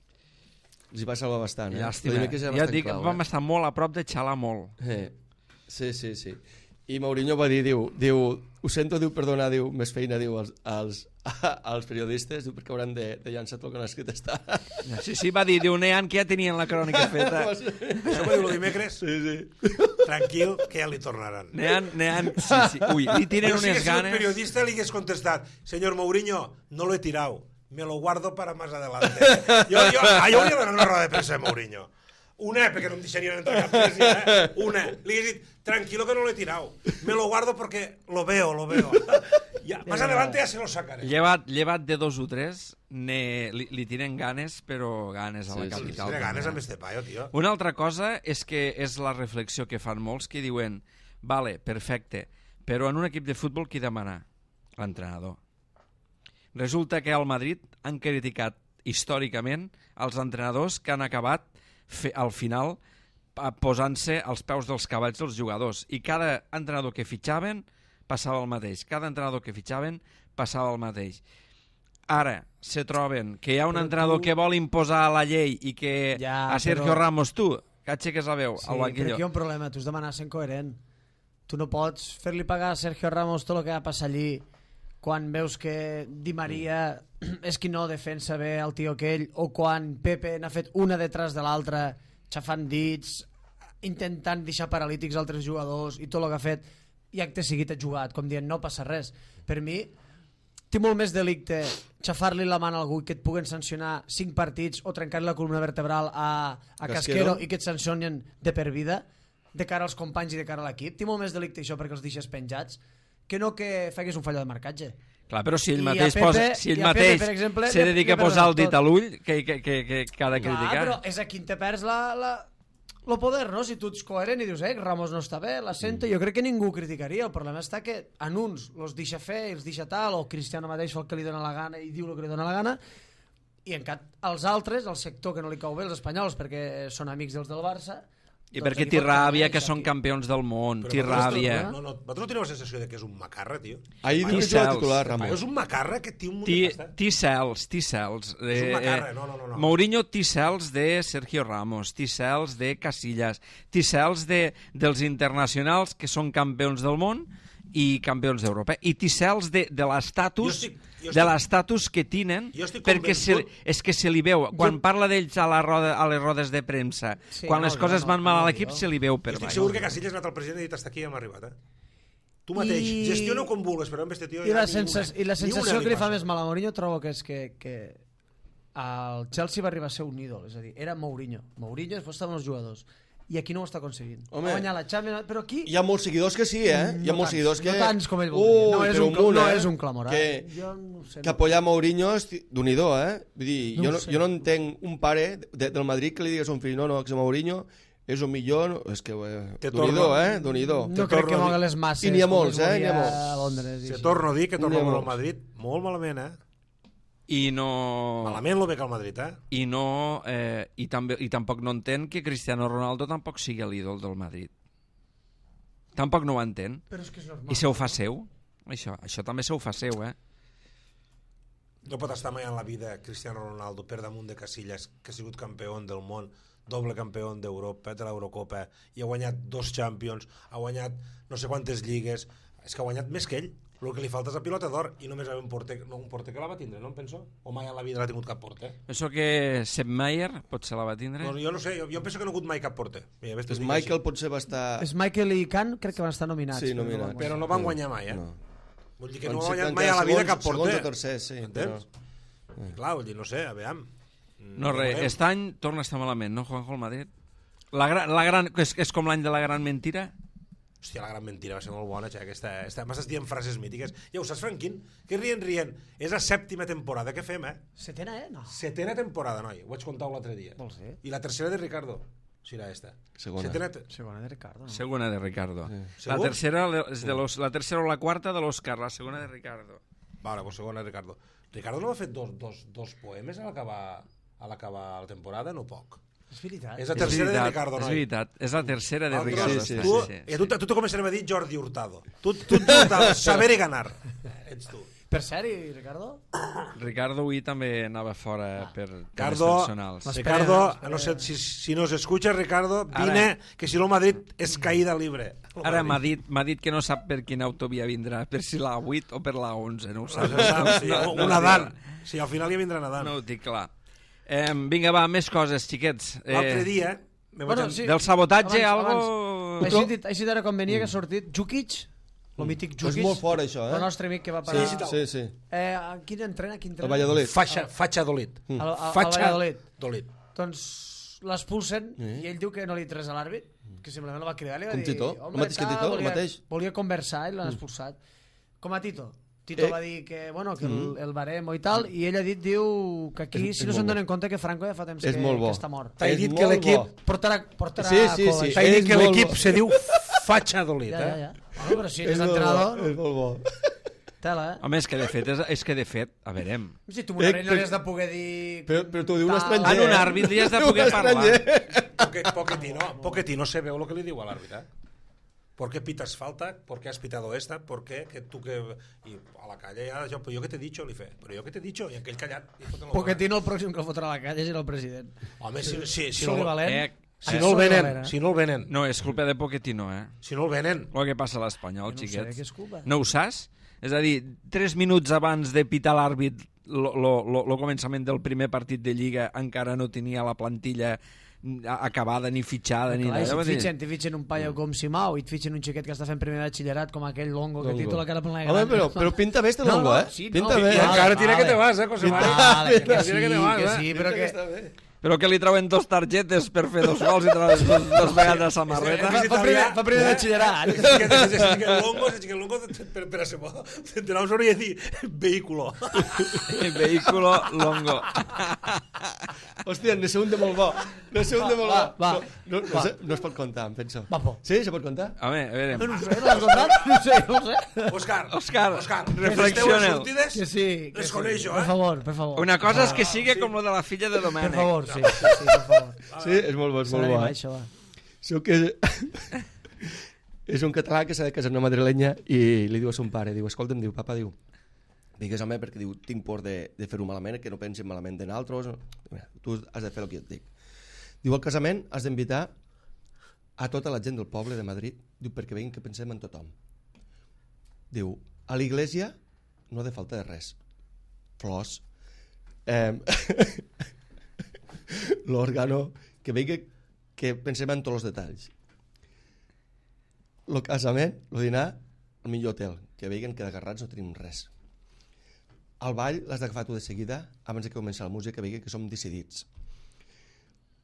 els hi va salvar bastant. Llàstima. Ja et dic, vam estar molt a prop de xalar molt. Sí. I Mourinho va dir, diu, ho sento, perdonar, més feina, als periodistes, perquè hauran de llançar tot el que han escrit està. Sí, va dir, Nean, que ja tenien la crònica feta. Això va dir el dimecres? Sí. Tranquil, que ja li tornaran. Nean, sí. Ui, li tiren unes ganes. Si el periodista li hagués contestat, senyor Mourinho, no lo he tirado, me lo guardo para más adelante. Jo hauria d'anar una roda de premsa de Mourinho. Una, perquè no em deixarien entrar cap presa, Una. Li he dit, tranquilo que no lo he tirado. Me lo guardo porque lo veo. Más adelante ya se lo sacaré. Llevat de 2 o 3, li tiren ganes, però ganes a la capital. Sí, ganes amb este paio, tio. Una altra cosa és que és la reflexió que fan molts que diuen, vale, perfecte, però en un equip de futbol qui demana? L'entrenador. Resulta que al Madrid han criticat històricament els entrenadors que han acabat al final posant-se als peus dels cavalls dels jugadors, i cada entrenador que fitxaven passava el mateix, el mateix. Ara se troben que hi ha un entrenador que vol imposar la llei i que a Sergio Ramos tu, que aixeques la veu al banquillo. Però aquí hi ha un problema, tu has de demanar sent coherent. Tu no pots fer-li pagar a Sergio Ramos tot el que va passar allí quan veus que Di Maria és qui no defensa bé el tio aquell, o quan Pepe n'ha fet una detrás de l'altra, xafant dits, intentant deixar paralítics altres jugadors i tot el que ha fet, i acte seguit ha jugat, com dient no passa res. Per mi té molt més delicte xafar-li la mà a algú que et puguen sancionar 5 partits o trencar-li la columna vertebral a Casquero i que et sancionen de per vida de cara als companys i de cara a l'equip. Té molt més delicte això perquè els deixes penjats que no que facis un fallo de marcatge. Clar, però si ell mateix, se dedica a posar el dit a l'ull, que ha de criticar. Però és a qui te perds el poder, no? Si tu ets coherent i dius, Ramos no està bé, la sento, jo crec que ningú ho criticaria. El problema està que en uns els deixa fer i els deixa tal, o Cristiano mateix fa el que li dona la gana i diu el que li dona la gana, i en cap els altres, el sector que no li cau bé, els espanyols, perquè són amics dels del Barça, i perquè té ràbia que són campions del món, té ràbia. Vosaltres no teniu la sensació que és un macarra, tio? Ahir diu que és titular, Ramon. És un macarra que té un... Té cels. És un macarra, no. Mourinho té cels de Sergio Ramos, té cels de Casillas, té cels dels internacionals que són campions del món i campions d'Europa, i té cels de l'estatus que tenen, perquè és que se li veu quan parla d'ells a les rodes de premsa, quan les coses van mal a l'equip, se li veu per baix. Estic segur que Casillas ha anat al president i ha dit hasta aquí hem arribat, tu mateix, gestiona com vulguis, però amb este tio i la sensació que li fa més mal a Mourinho trobo que és que el Chelsea va arribar a ser un ídol, és a dir, era Mourinho després estaven els jugadors, i aquí no ho està aconseguint. Va guanyar la Champions, però aquí... Hi ha molts seguidors que sí, Hi ha molts seguidors que... No tants com ell voldria. No és un clamor, Que apoyar Mourinho és d'un-i-do, Vull dir, jo no entenc un pare del Madrid que li digués a un fill, no, que Mourinho és un millor... És que... D'un-i-do, No crec que mogui les masses. I n'hi ha molts, n'hi ha molts. Se torno a dir que torno al Madrid molt malament, I no... Malament lo ve que el Madrid, I no... I tampoc no entén que Cristiano Ronaldo tampoc sigui l'ídol del Madrid. Tampoc no ho entén. Però és que és normal. I se ho fa seu. Això també se ho fa seu, No pot estar mai en la vida Cristiano Ronaldo per damunt de Casillas, que ha sigut campió del món, doble campió d'Europa, de l'Eurocopa, i ha guanyat 2 Champions, ha guanyat no sé quantes lligues, és que ha guanyat més que ell. El que li falta és la pilota d'or i només un porter que la va tindre, no em penso? O mai en la vida l'ha tingut cap porter? Penso que Sepp Maier potser la va tindre. No, jo no sé, jo penso que no ha hagut mai cap porter. És Michael potser va estar... És Michael i Can crec que van estar nominats. Sí, nominats. Però no van guanyar mai, Vull dir que no ha guanyat mai a la vida cap porter. Segons o tercers, sí. Entens? Clar, vull dir, no sé, a veure... No res, aquest any torna a estar malament, no, Juanjo, el Madrid? La gran, és com l'any de la gran mentira? Hòstia, la gran mentira va ser molt bona, m'estàs dient frases mítiques. Ja ho saps, Franquín? Que rient. És la 7ª temporada, què fem, Setena, no? 7ª temporada, noi. Ho vaig contar l'altre dia. Vols dir? I la tercera de Ricardo. Serà esta. Segona de Ricardo. No? Segona de Ricardo. Sí. La tercera és la tercera o la quarta de l'Òscar, la segona de Ricardo. Vale, pues segona de Ricardo. Ricardo no va fer dos poemes a l'acabar la temporada, no poc. És veritat. És la tercera de Ricardo, noi. És veritat, és la tercera de Ricardo. Sí. I a tu te començarem a dir Jordi Hurtado. Tu Hurtado, saber i ganar. Ets tu. Per ser, Ricardo? Ricardo avui també anava fora per temes Ricardo, personals. Ricardo, no sé, si nos escucha, Ricardo, vine, que si no Madrid és caïda libre. Ara m'ha dit que no sap per quina autovia vindrà, per si la 8 o per la 11, no ho sap. Una dan. Sí, al final ja vindrà nedant. No ho dic clar. Vinga, va, més coses, xiquets. L'altre dia... Del sabotatge, algo... Així d'ara quan venia que ha sortit Djukic, el mític Djukic. És molt fort, això, el nostre amic que va parar... Sí. Quin entrena? El Valladolid. Fatxadolit. Fatxadolit. Doncs l'expulsen i ell diu que no li tres a l'àrbit, que simplement el va cridar i li va dir... Com Tito? El mateix que Tito? El mateix? Volia conversar i l'han expulsat. Com a Tito. Tito va dir que, que el baremo i tal, i ell ha dit, diu, que aquí si no se'n donen compte que Franco ja fa temps que està mort. T'ha dit que l'equip portarà sí. T'ha dit que l'equip se diu Fatxadolit, Ja. Però si ets entrenador... És molt bo. Tela, Home, és que de fet, a veure... Si tu no li has de poder dir... Però t'ho diu un estranger. En un àrbit li has de poder parlar. Pochettino se veu el que li diu a l'àrbit, ¿Por qué pitas falta? ¿Por qué has pitado esta? ¿Por qué? Que tú que... Y a la calle ja... Però jo què t'he dicho, li fe? Però jo què t'he dicho? I aquell callat... Pochettino el pròxim que el fotrà a la calle serà el president. Home, si no... Si no el venen. No, és culpa de Pochettino, Si no el venen. El que passa a l'Espanyol, xiquets. No sé què és culpa. No ho saps? És a dir, 3 minuts abans de pitar l'àrbit el començament del primer partit de Lliga encara no tenia la plantilla acabada ni fitxada ni res. Si t'hi fitxen un paio com Simao i et fitxen un xiquet que està fent primer de batxillerat com aquell Longo que títula cara plena de gran. Home, però pinta bé este Longo, pinta bé. I encara tira que te vas, José Mari. Que sí, però que... Però que li trauen 2 targetes per fer 2 gols i trauen 2 vegades a samarreta. Fa primer de batxillerat. És que el Longo per a ser bo te n'haus hauria de dir vehículo. Vehículo Longo. Hòstia, ne sé un de molt bo. No es pot contar, em penso. Sí, se pot contar? Home, a veure... No sé, l'has contat? No sé. Òscar, reflexioneu. Que sí. Les coneixo, Per favor. Una cosa és que sigui com lo de la filla de Domènec. Per favor, sí, per favor. Sí, és molt bo, és molt bo. Sóc que és un català que s'ha de casar amb una madrilenya i li diu a son pare, diu, escolta'm, diu, papa, diu, digues home, perquè diu, tinc por de fer-ho malament, que no pensin malament de naltros, tu has de fer el que et dic. Diu, al casament has d'invitar a tota la gent del poble de Madrid, diu, perquè veguin que pensem en tothom. Diu, a l'església no ha de falta de res. Flors, l'òrgano, que vegi que pensem en tots els detalls. El casament, el dinar, el millor hotel, que vegin que d'agarrats no tenim res. Al ball l'has d'agafar tu de seguida, abans de començar la música, que vegi que som decidits.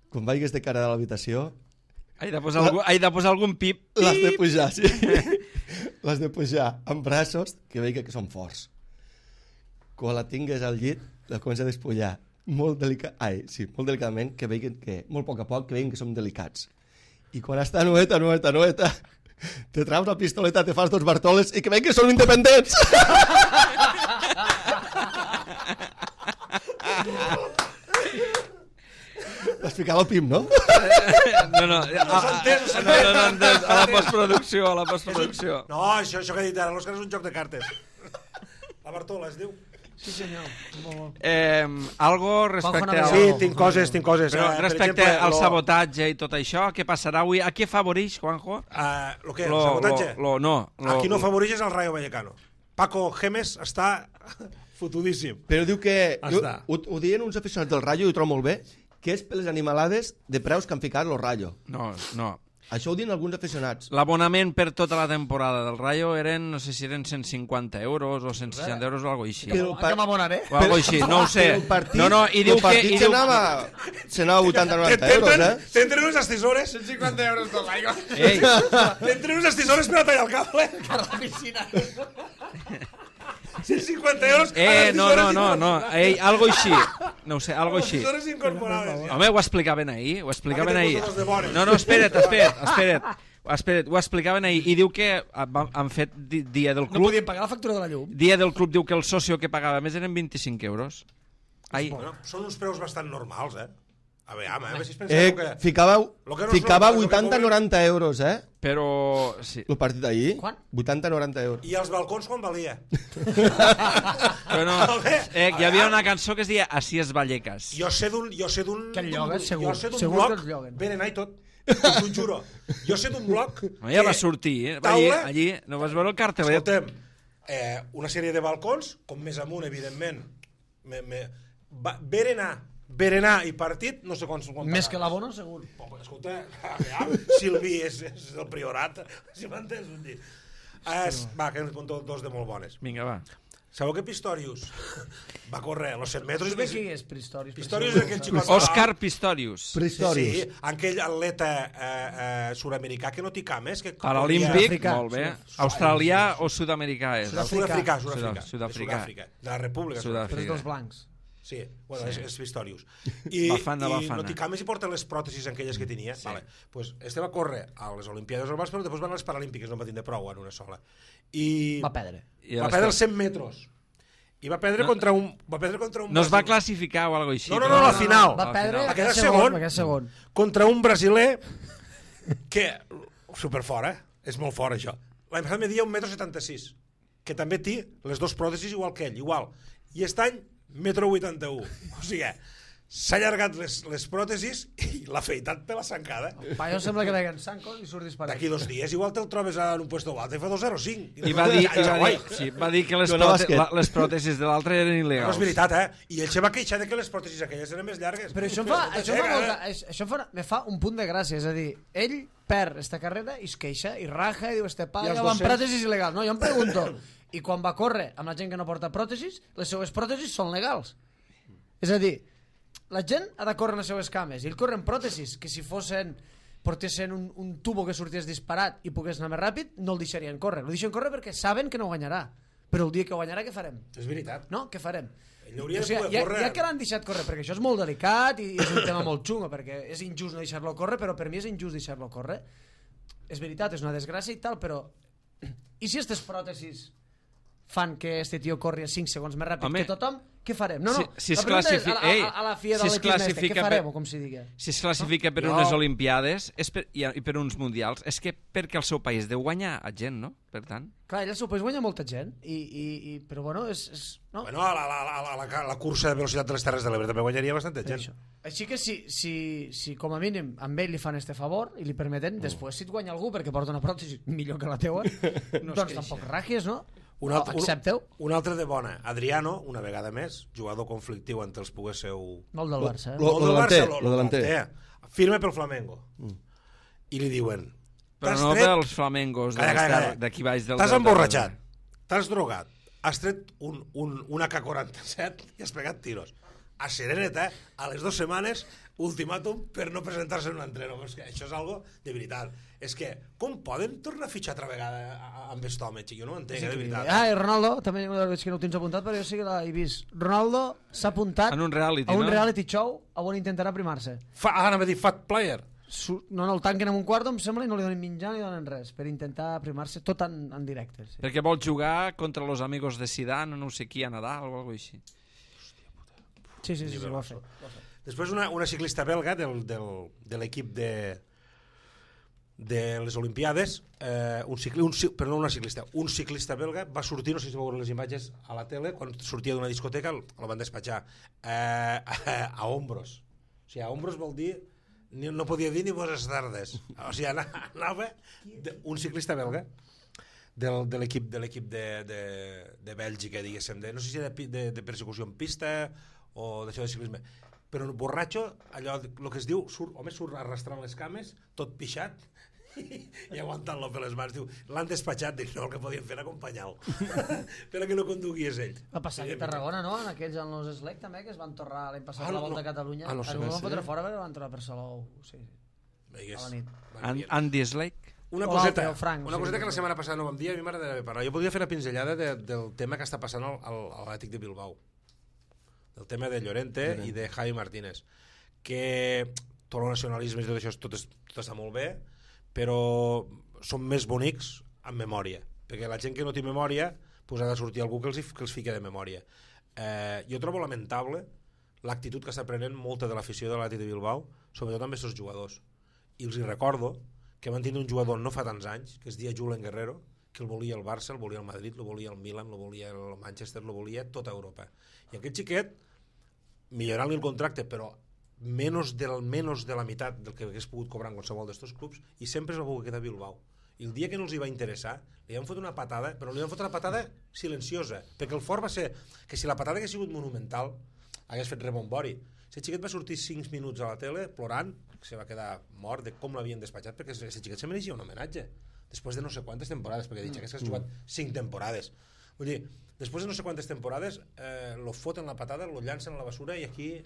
Quan vagis de cara a l'habitació... He de posar algun pip. L'has de pujar, sí. L'has de pujar amb braços, que vegi que són forts. Quan la tingues al llit, la comença a despullar. Molt delicadament, que veguin que, molt a poc, que veguin que som delicats. I quan està nueta, te traus la pistoleta, te fas 2 bartoles i que veguin que són independents. T'has ficat el pim, no? No, a la postproducció. No, això que he dit ara, l'Òscar és un joc de cartes. La Bartola es diu. Sí, senyor. Algo respecte al... Sí, tinc coses. Però respecte al sabotatge i tot això, què passarà avui? A què afavoreix, Juanjo? Lo què? El sabotatge? No. Aquí no afavoreix és el Rayo Vallecano. Paco Gémez està fotudíssim. Però diu que... Ho diuen uns aficionats del Rayo i ho trobo molt bé, que és per les animalades de preus que han ficat el Rayo. No. Això ho diuen alguns aficionats. L'abonament per tota la temporada del Rayo eren, no sé si eren 150 euros o 160 euros o alguna cosa així. Que m'abonaré? O alguna cosa així, no ho sé. I diu que... Se n'anava 80-90 euros, T'entren unes estisores. 150 euros tot l'aigua. T'entren unes estisores per a tallar el cable. A la piscina. 150 euros. No. Algo així. No ho sé, algo així. Estisores incorporades. Home, ho explicaven ahir. No, espera't. Ho explicaven ahir. I diu que han fet dia del club... No podien pagar la factura de la llum. Dia del club diu que el socio que pagava més eren 25 euros. Bueno, són uns preus bastant normals, A veure si es penseu que... Ficava 80-90 euros, Però... Sí. El partit d'ahir, Quan? 80-90 euros. I els balcons quan valia? Però no, hi havia una cançó que es deia Así es Vallecas. Jo sé d'un... Que el lloguen, segur. Jo sé d'un bloc... Venen i tot. T'ho juro. Jo sé d'un bloc... Ja va sortir, allí, no vas veure el cartelet? Escoltem, una sèrie de balcons, com més amunt, evidentment, berenar i partit, no sé quants... Més que l'abono, segur. Escolta, Silvi és del Priorat, si m'entens? Va, que en conto 2 de molt bones. Vinga, va. Sabeu que Pistorius va córrer los 100 metres? Qui és Pistorius? Pistorius és aquell xicot... Òscar Pistorius. Sí, aquell atleta sud-americà que no té cames. Paralímpic, molt bé. Australià o sud-americà és? Sud-africà. De la República. Però és dels blancs. Sí, bueno, és Pistorius. Bafana. No té cames i porta les pròtesis aquelles que tenia. Vale. Pues este va córrer a les Olimpiades normals, però després van a les Paralímpiques, no va tindre prou en una sola. I va perdre. Va perdre els 100 metres. I va perdre contra un... No es va classificar o alguna cosa així? No, a la final. Va perdre a quedar segon. Contra un brasiler que... Superfort, És molt fort, això. L'any passat media 1,76 m, que també té les 2 pròtesis igual que ell, igual. I aquest any 1,81 m. O sigui, s'ha allargat les pròtesis i l'ha afeitat per la sancada. El paio sembla que veia en Sanco i surt disparat. D'aquí 2 dies igual te'l trobes en un puesto altre i fa 2,05. I va dir que les pròtesis de l'altre eren il·legals. No és veritat, I ell se va queixar de que les pròtesis aquelles eren més llargues. Però això me fa un punt de gràcia, és a dir, ell perd esta carrera i es queixa i raja i diu, este paio va amb pròtesis il·legals. No, jo em pregunto, i quan va córrer amb la gent que no porta pròtesis, les seues pròtesis són legals. És a dir, la gent ha de córrer en les seues cames i ell corre en pròtesis que si portessin un tubo que sorties disparat i pogués anar més ràpid no el deixarien córrer, el deixen córrer perquè saben que no guanyarà, però el dia que guanyarà què farem? És veritat. No? Què farem? Ja que l'han deixat córrer, perquè això és molt delicat i és un tema molt xungo, perquè és injust no deixar-lo córrer, però per mi és injust deixar-lo córrer. És veritat, és una desgràcia i tal, però i si aquestes pròtesis fan que este tio corri a 5 segons més ràpid que tothom, què farem? No, si es classifica a la FIA de l'equip què farem, o com s'hi digui? Si es classifica per unes Olimpiades i per uns Mundials, és que perquè el seu país deu guanyar a gent, no? Per tant... Clar, ell al seu país guanya molta gent, però bueno, no? Bueno, a la cursa de velocitat de les Terres de l'Ebre també guanyaria bastanta gent. Així que si com a mínim amb ell li fan este favor i li permeten, després si et guanya algú perquè porta una pròtesi millor que la teua, doncs tampoc ragies, no? Accepteu? Un altre de bona, Adriano, una vegada més, jugador conflictiu entre els poguésseu... Molt del Barça, Lo delanter. Firme pel Flamengo. I li diuen... Però no pels Flamengos d'aquí baix del... T'has emborratxat, t'has drogat, has tret un AK-47 i has pegat tiros. A Sereneta, a les 2 setmanes, ultimàtum per no presentar-se en un entreno. És que això és algo de veritat. És que, com poden tornar a fitxar altra vegada amb aquest home, xic? Jo no ho entenc, de veritat. I Ronaldo, també veig que no ho tens apuntat, però jo sí que l'he vist. Ronaldo s'ha apuntat a un reality show on intentarà primar-se. Anava a dir fat player. No, el tanquen en un quarto, em sembla, i no li donen menjar ni donen res, per intentar primar-se tot en directe. Sí. Perquè vol jugar contra los amigos de Zidane, no sé qui, a Nadal o alguna cosa així. Sí, ho va fer. Després una ciclista belga de l'equip de les Olimpiades, un ciclista belga va sortir, no sé si veure les imatges a la tele, quan sortia d'una discoteca el van despatxar a hombros. O sigui, a hombros vol dir no podia dir ni bones tardes. O sigui, anava un ciclista belga de l'equip de Bèlgica, diguéssim, no sé si de persecució en pista o d'això de ciclisme, però borratxo, allò, el que es diu, surt arrastrant les cames, tot pixat i aguantant-lo per les mans. Diu, l'han despatxat, dic, no, el que podien fer era acompanyar-lo però que no condugués ell. Va passar aquí a Tarragona, no? En aquells en los Slec també, que es van torrar l'any passat a la Volta a Catalunya. No van fotre fora perquè van tornar per Salou, sí, a la nit. Andy Slec? Una coseta que la setmana passada no vam dir, a mi m'agradaria parlar. Jo podria fer una pinzellada del tema que està passant a l'Atlètic de Bilbao, el tema de Llorente i de Javi Martínez, que tot el nacionalisme i tot això tot està molt bé, però són més bonics amb memòria, perquè la gent que no té memòria pues ha de sortir algú que els fiqui de memòria. Jo trobo lamentable l'actitud que està prenent molta de l'afició de l'Atlètic de Bilbao, sobretot amb aquests jugadors, i els recordo que van tenir un jugador no fa tants anys, que es deia Julen Guerrero, que el volia el Barça, el volia el Madrid, el volia el Milan, el volia el Manchester, el volia tota Europa. I aquest xiquet, millorant-li el contracte, però menys de la meitat del que hagués pogut cobrar en qualsevol d'estos clubs, i sempre es va poder quedar a Bilbao. I el dia que no els hi va interessar, li van fotre una patada, però li van fotre una patada silenciosa, perquè el fort va ser que si la patada hagués sigut monumental, hagués fet rebombori. Aquest xiquet va sortir 5 minuts a la tele plorant, que se va quedar mort de com l'havien despatxat, perquè aquest xiquet se mereixia un homenatge després de no sé quantes temporades, perquè he dit que has jugat 5 temporades. Vull dir, després de no sé quantes temporades lo foten la patada, lo llancen a la basura i aquí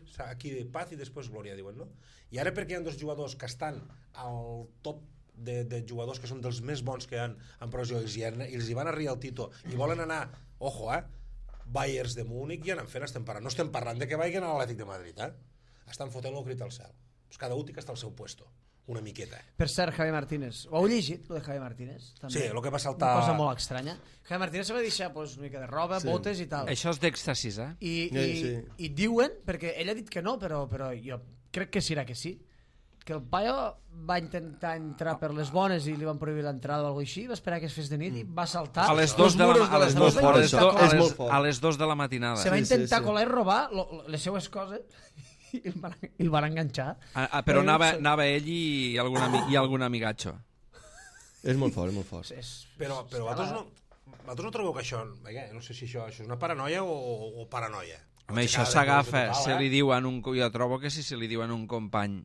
paz i després glòria, diuen, no? I ara perquè hi ha 2 jugadors que estan al top de jugadors que són dels més bons que hi ha en provisió i els hi van arribar al Tito i volen anar, ojo, Bayers de Múnich i anem fent, no estem parlant de que vagin a l'Atlètic de Madrid, estan fotent-lo crit al cel. Pues cada un té que està al seu puesto, una miqueta. Per cert, Javi Martínez, ho heu llegit, lo de Javi Martínez? També. Sí, el que va saltar... Una cosa molt estranya. Javi Martínez se va deixar pues, una mica de roba, botes i tal. Això és d'èxtasis, I diuen, perquè ell ha dit que no, però jo crec que serà que sí, que el paio va intentar entrar per les bones i li van prohibir l'entrada o alguna cosa així, va esperar que es fes de nit i va saltar a les 2 de la matinada. Se va intentar colar i robar les seues coses i el van enganxar. Però anava ell i algun amigatxo. És molt fort, és molt fort. Però vosaltres no trobeu que això... No sé si això és una paranoia o paranoia. Home, això s'agafa, se li diuen jo trobo que si se li diuen un company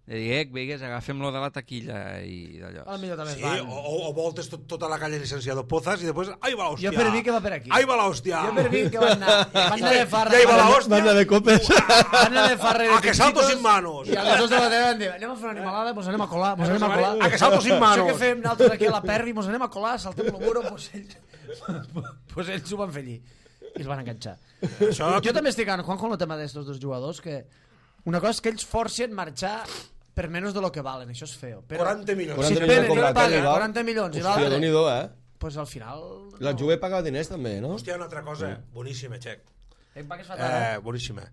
de dir, vegues, agafem-lo de la taquilla i d'allò. Sí, o voltes tota la calle licenciado Pozas i després, ahí va l'hòstia. Jo per mi que va per aquí. Ahí va l'hòstia. Jo per mi que van anar de farra. I ahí va l'hòstia. Van anar de copes. Van anar de farra de A que salto sin manos. I a les 2 de la tarda van dir, anem a fer una animalada, mos anem a colar, A que salto sin manos. Això que fem nosaltres aquí a la Perri, mos anem a colar, saltem el muro, pues ells ho van fer allí. I els van enganxar. Jo també estic amb Juanjo en el tema d'estos dos jugadors, que una cosa és que ells forcen marxar per menys de lo que valen, això és feo. Però 40 milions. si et venen i et paguen 40 milions i Hòstia, Déu-n'hi-do, pues al final... La Juve paga diners també, no? Hòstia, una altra cosa boníssima, Xec. Boníssima.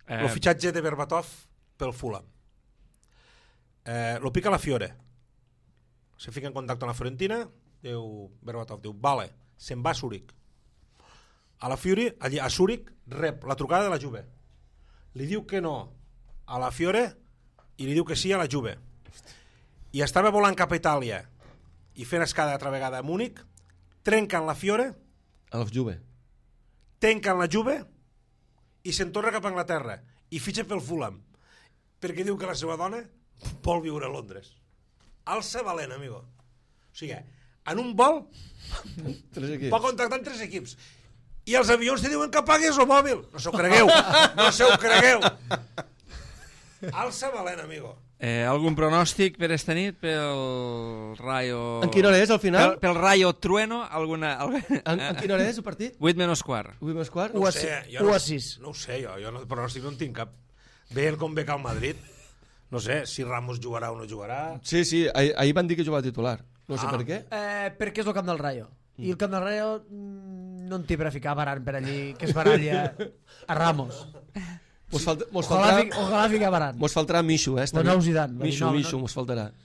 El fitxatge de Berbatov pel Fulham. Lo pica la Fiore. Se fica en contacte amb la Fiorentina, Berbatov diu, vale, se'n va a Zúrich. A la Fiore, allí a Zúrich, rep la trucada de la Juve. Li diu que no a la Fiore i li diu que sí a la Juve. I estava volant cap a Itàlia i fent escada altra vegada a Múnich, trenquen la Fiore, a la Juve, tanquen la Juve i se'n torna cap a Anglaterra i fitxa pel Fulham perquè diu que la seva dona vol viure a Londres. Alça valent, amigo. O sigui, en un vol pot contactar amb 3 equips i els avions te diuen que pagues el mòbil. No se ho cregueu. No se ho cregueu. Alça valent, amigo. Algun pronòstic per esta nit pel Rayo... En quina hora és, al final? Pel Rayo Trueno, En quina hora és el partit? 8 menys quart. 8 menys quart? 1 a 6. No ho sé, jo pronòstic no en tinc cap. Veient com ve que al Madrid, no sé, si Ramos jugarà o no jugarà... Sí, ahir van dir que jugava titular. No sé per què. Perquè és el camp del Rayo. I el camp del Rayo no en té per a ficar Varane per allí, que es baralla a Ramos. Ojalà ficar Varane. Mos faltarà Michu, O nou Zidane. Michu, mos faltarà.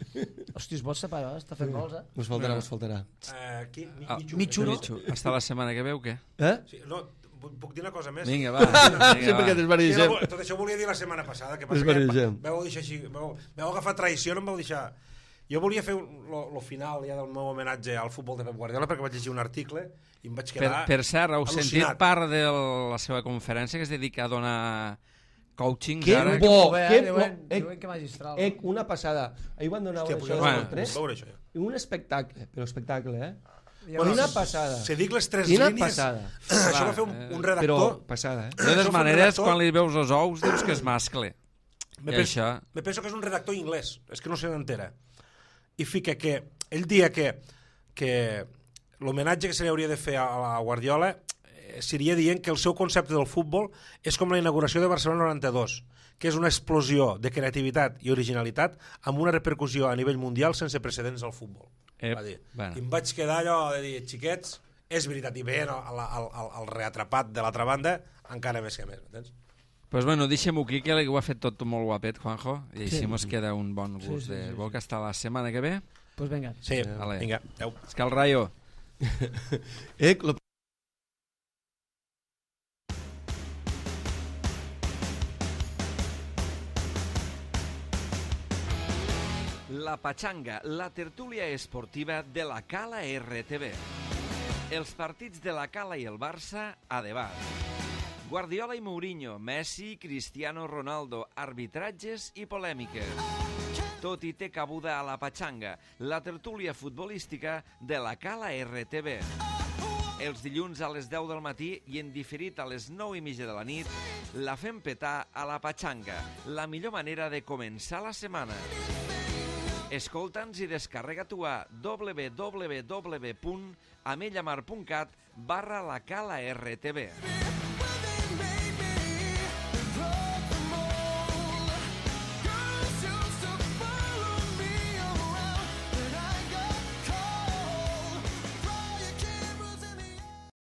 Hòstia, es pot separar, està fent gols, Mos faltarà. Qui? Michu, no? Hasta la setmana que ve o què? Sí, no, puc dir una cosa més? Vinga, va. Sí, perquè desbarregem. Tot això ho volia dir la setmana passada, que Desbarregem. vau deixar així, vau agafar traïció, no em vau deixar... Jo volia fer el final ja del meu homenatge al futbol de Pep Guardiola perquè vaig llegir un article i em vaig quedar per cert, heu al·lucinat. sentit part de la seva conferència que es dedica a donar coaching Que ara? bo! Diuen que magistral. Una passada. Ahir van donar un espectacle, però espectacle, Una passada. Si dic les 3 Quina línies... passada. Això va fer un redactor... Però passada, De totes maneres, quan li veus els ous, dius que és mascle. Me penso que és un redactor inglès, és que no se n'entera. I fica que ell dia que l'homenatge que se li hauria de fer a la Guardiola seria dient que el seu concepte del futbol és com la inauguració de Barcelona 92, que és una explosió de creativitat i originalitat amb una repercussió a nivell mundial sense precedents al futbol. Va dir. I em vaig quedar allò de dir, xiquets, és veritat, i veient el reatrapat de l'altra banda encara més que més, m'entens? Pues bueno, deixem-ho aquí, que ho ha fet tot molt guapet, Juanjo, i així mos queda un bon gust de boca hasta la setmana que ve. Pues venga. Sí, vinga. És que el Rayo... La Pachanga, la tertúlia esportiva de la Cala RTV. Els partits de la Cala i el Barça a debat. Guardiola i Mourinho, Messi, Cristiano Ronaldo, arbitratges i polèmiques. Tot hi té cabuda a la Pachanga, la tertúlia futbolística de la Cala RTV. Els dilluns a les 10 del matí i en diferit a les 9:30 de la nit, la fem petar a la Pachanga, la millor manera de començar la setmana. Escolta'ns i descarrega-t'ho a www.amellamar.cat/la Cala RTV.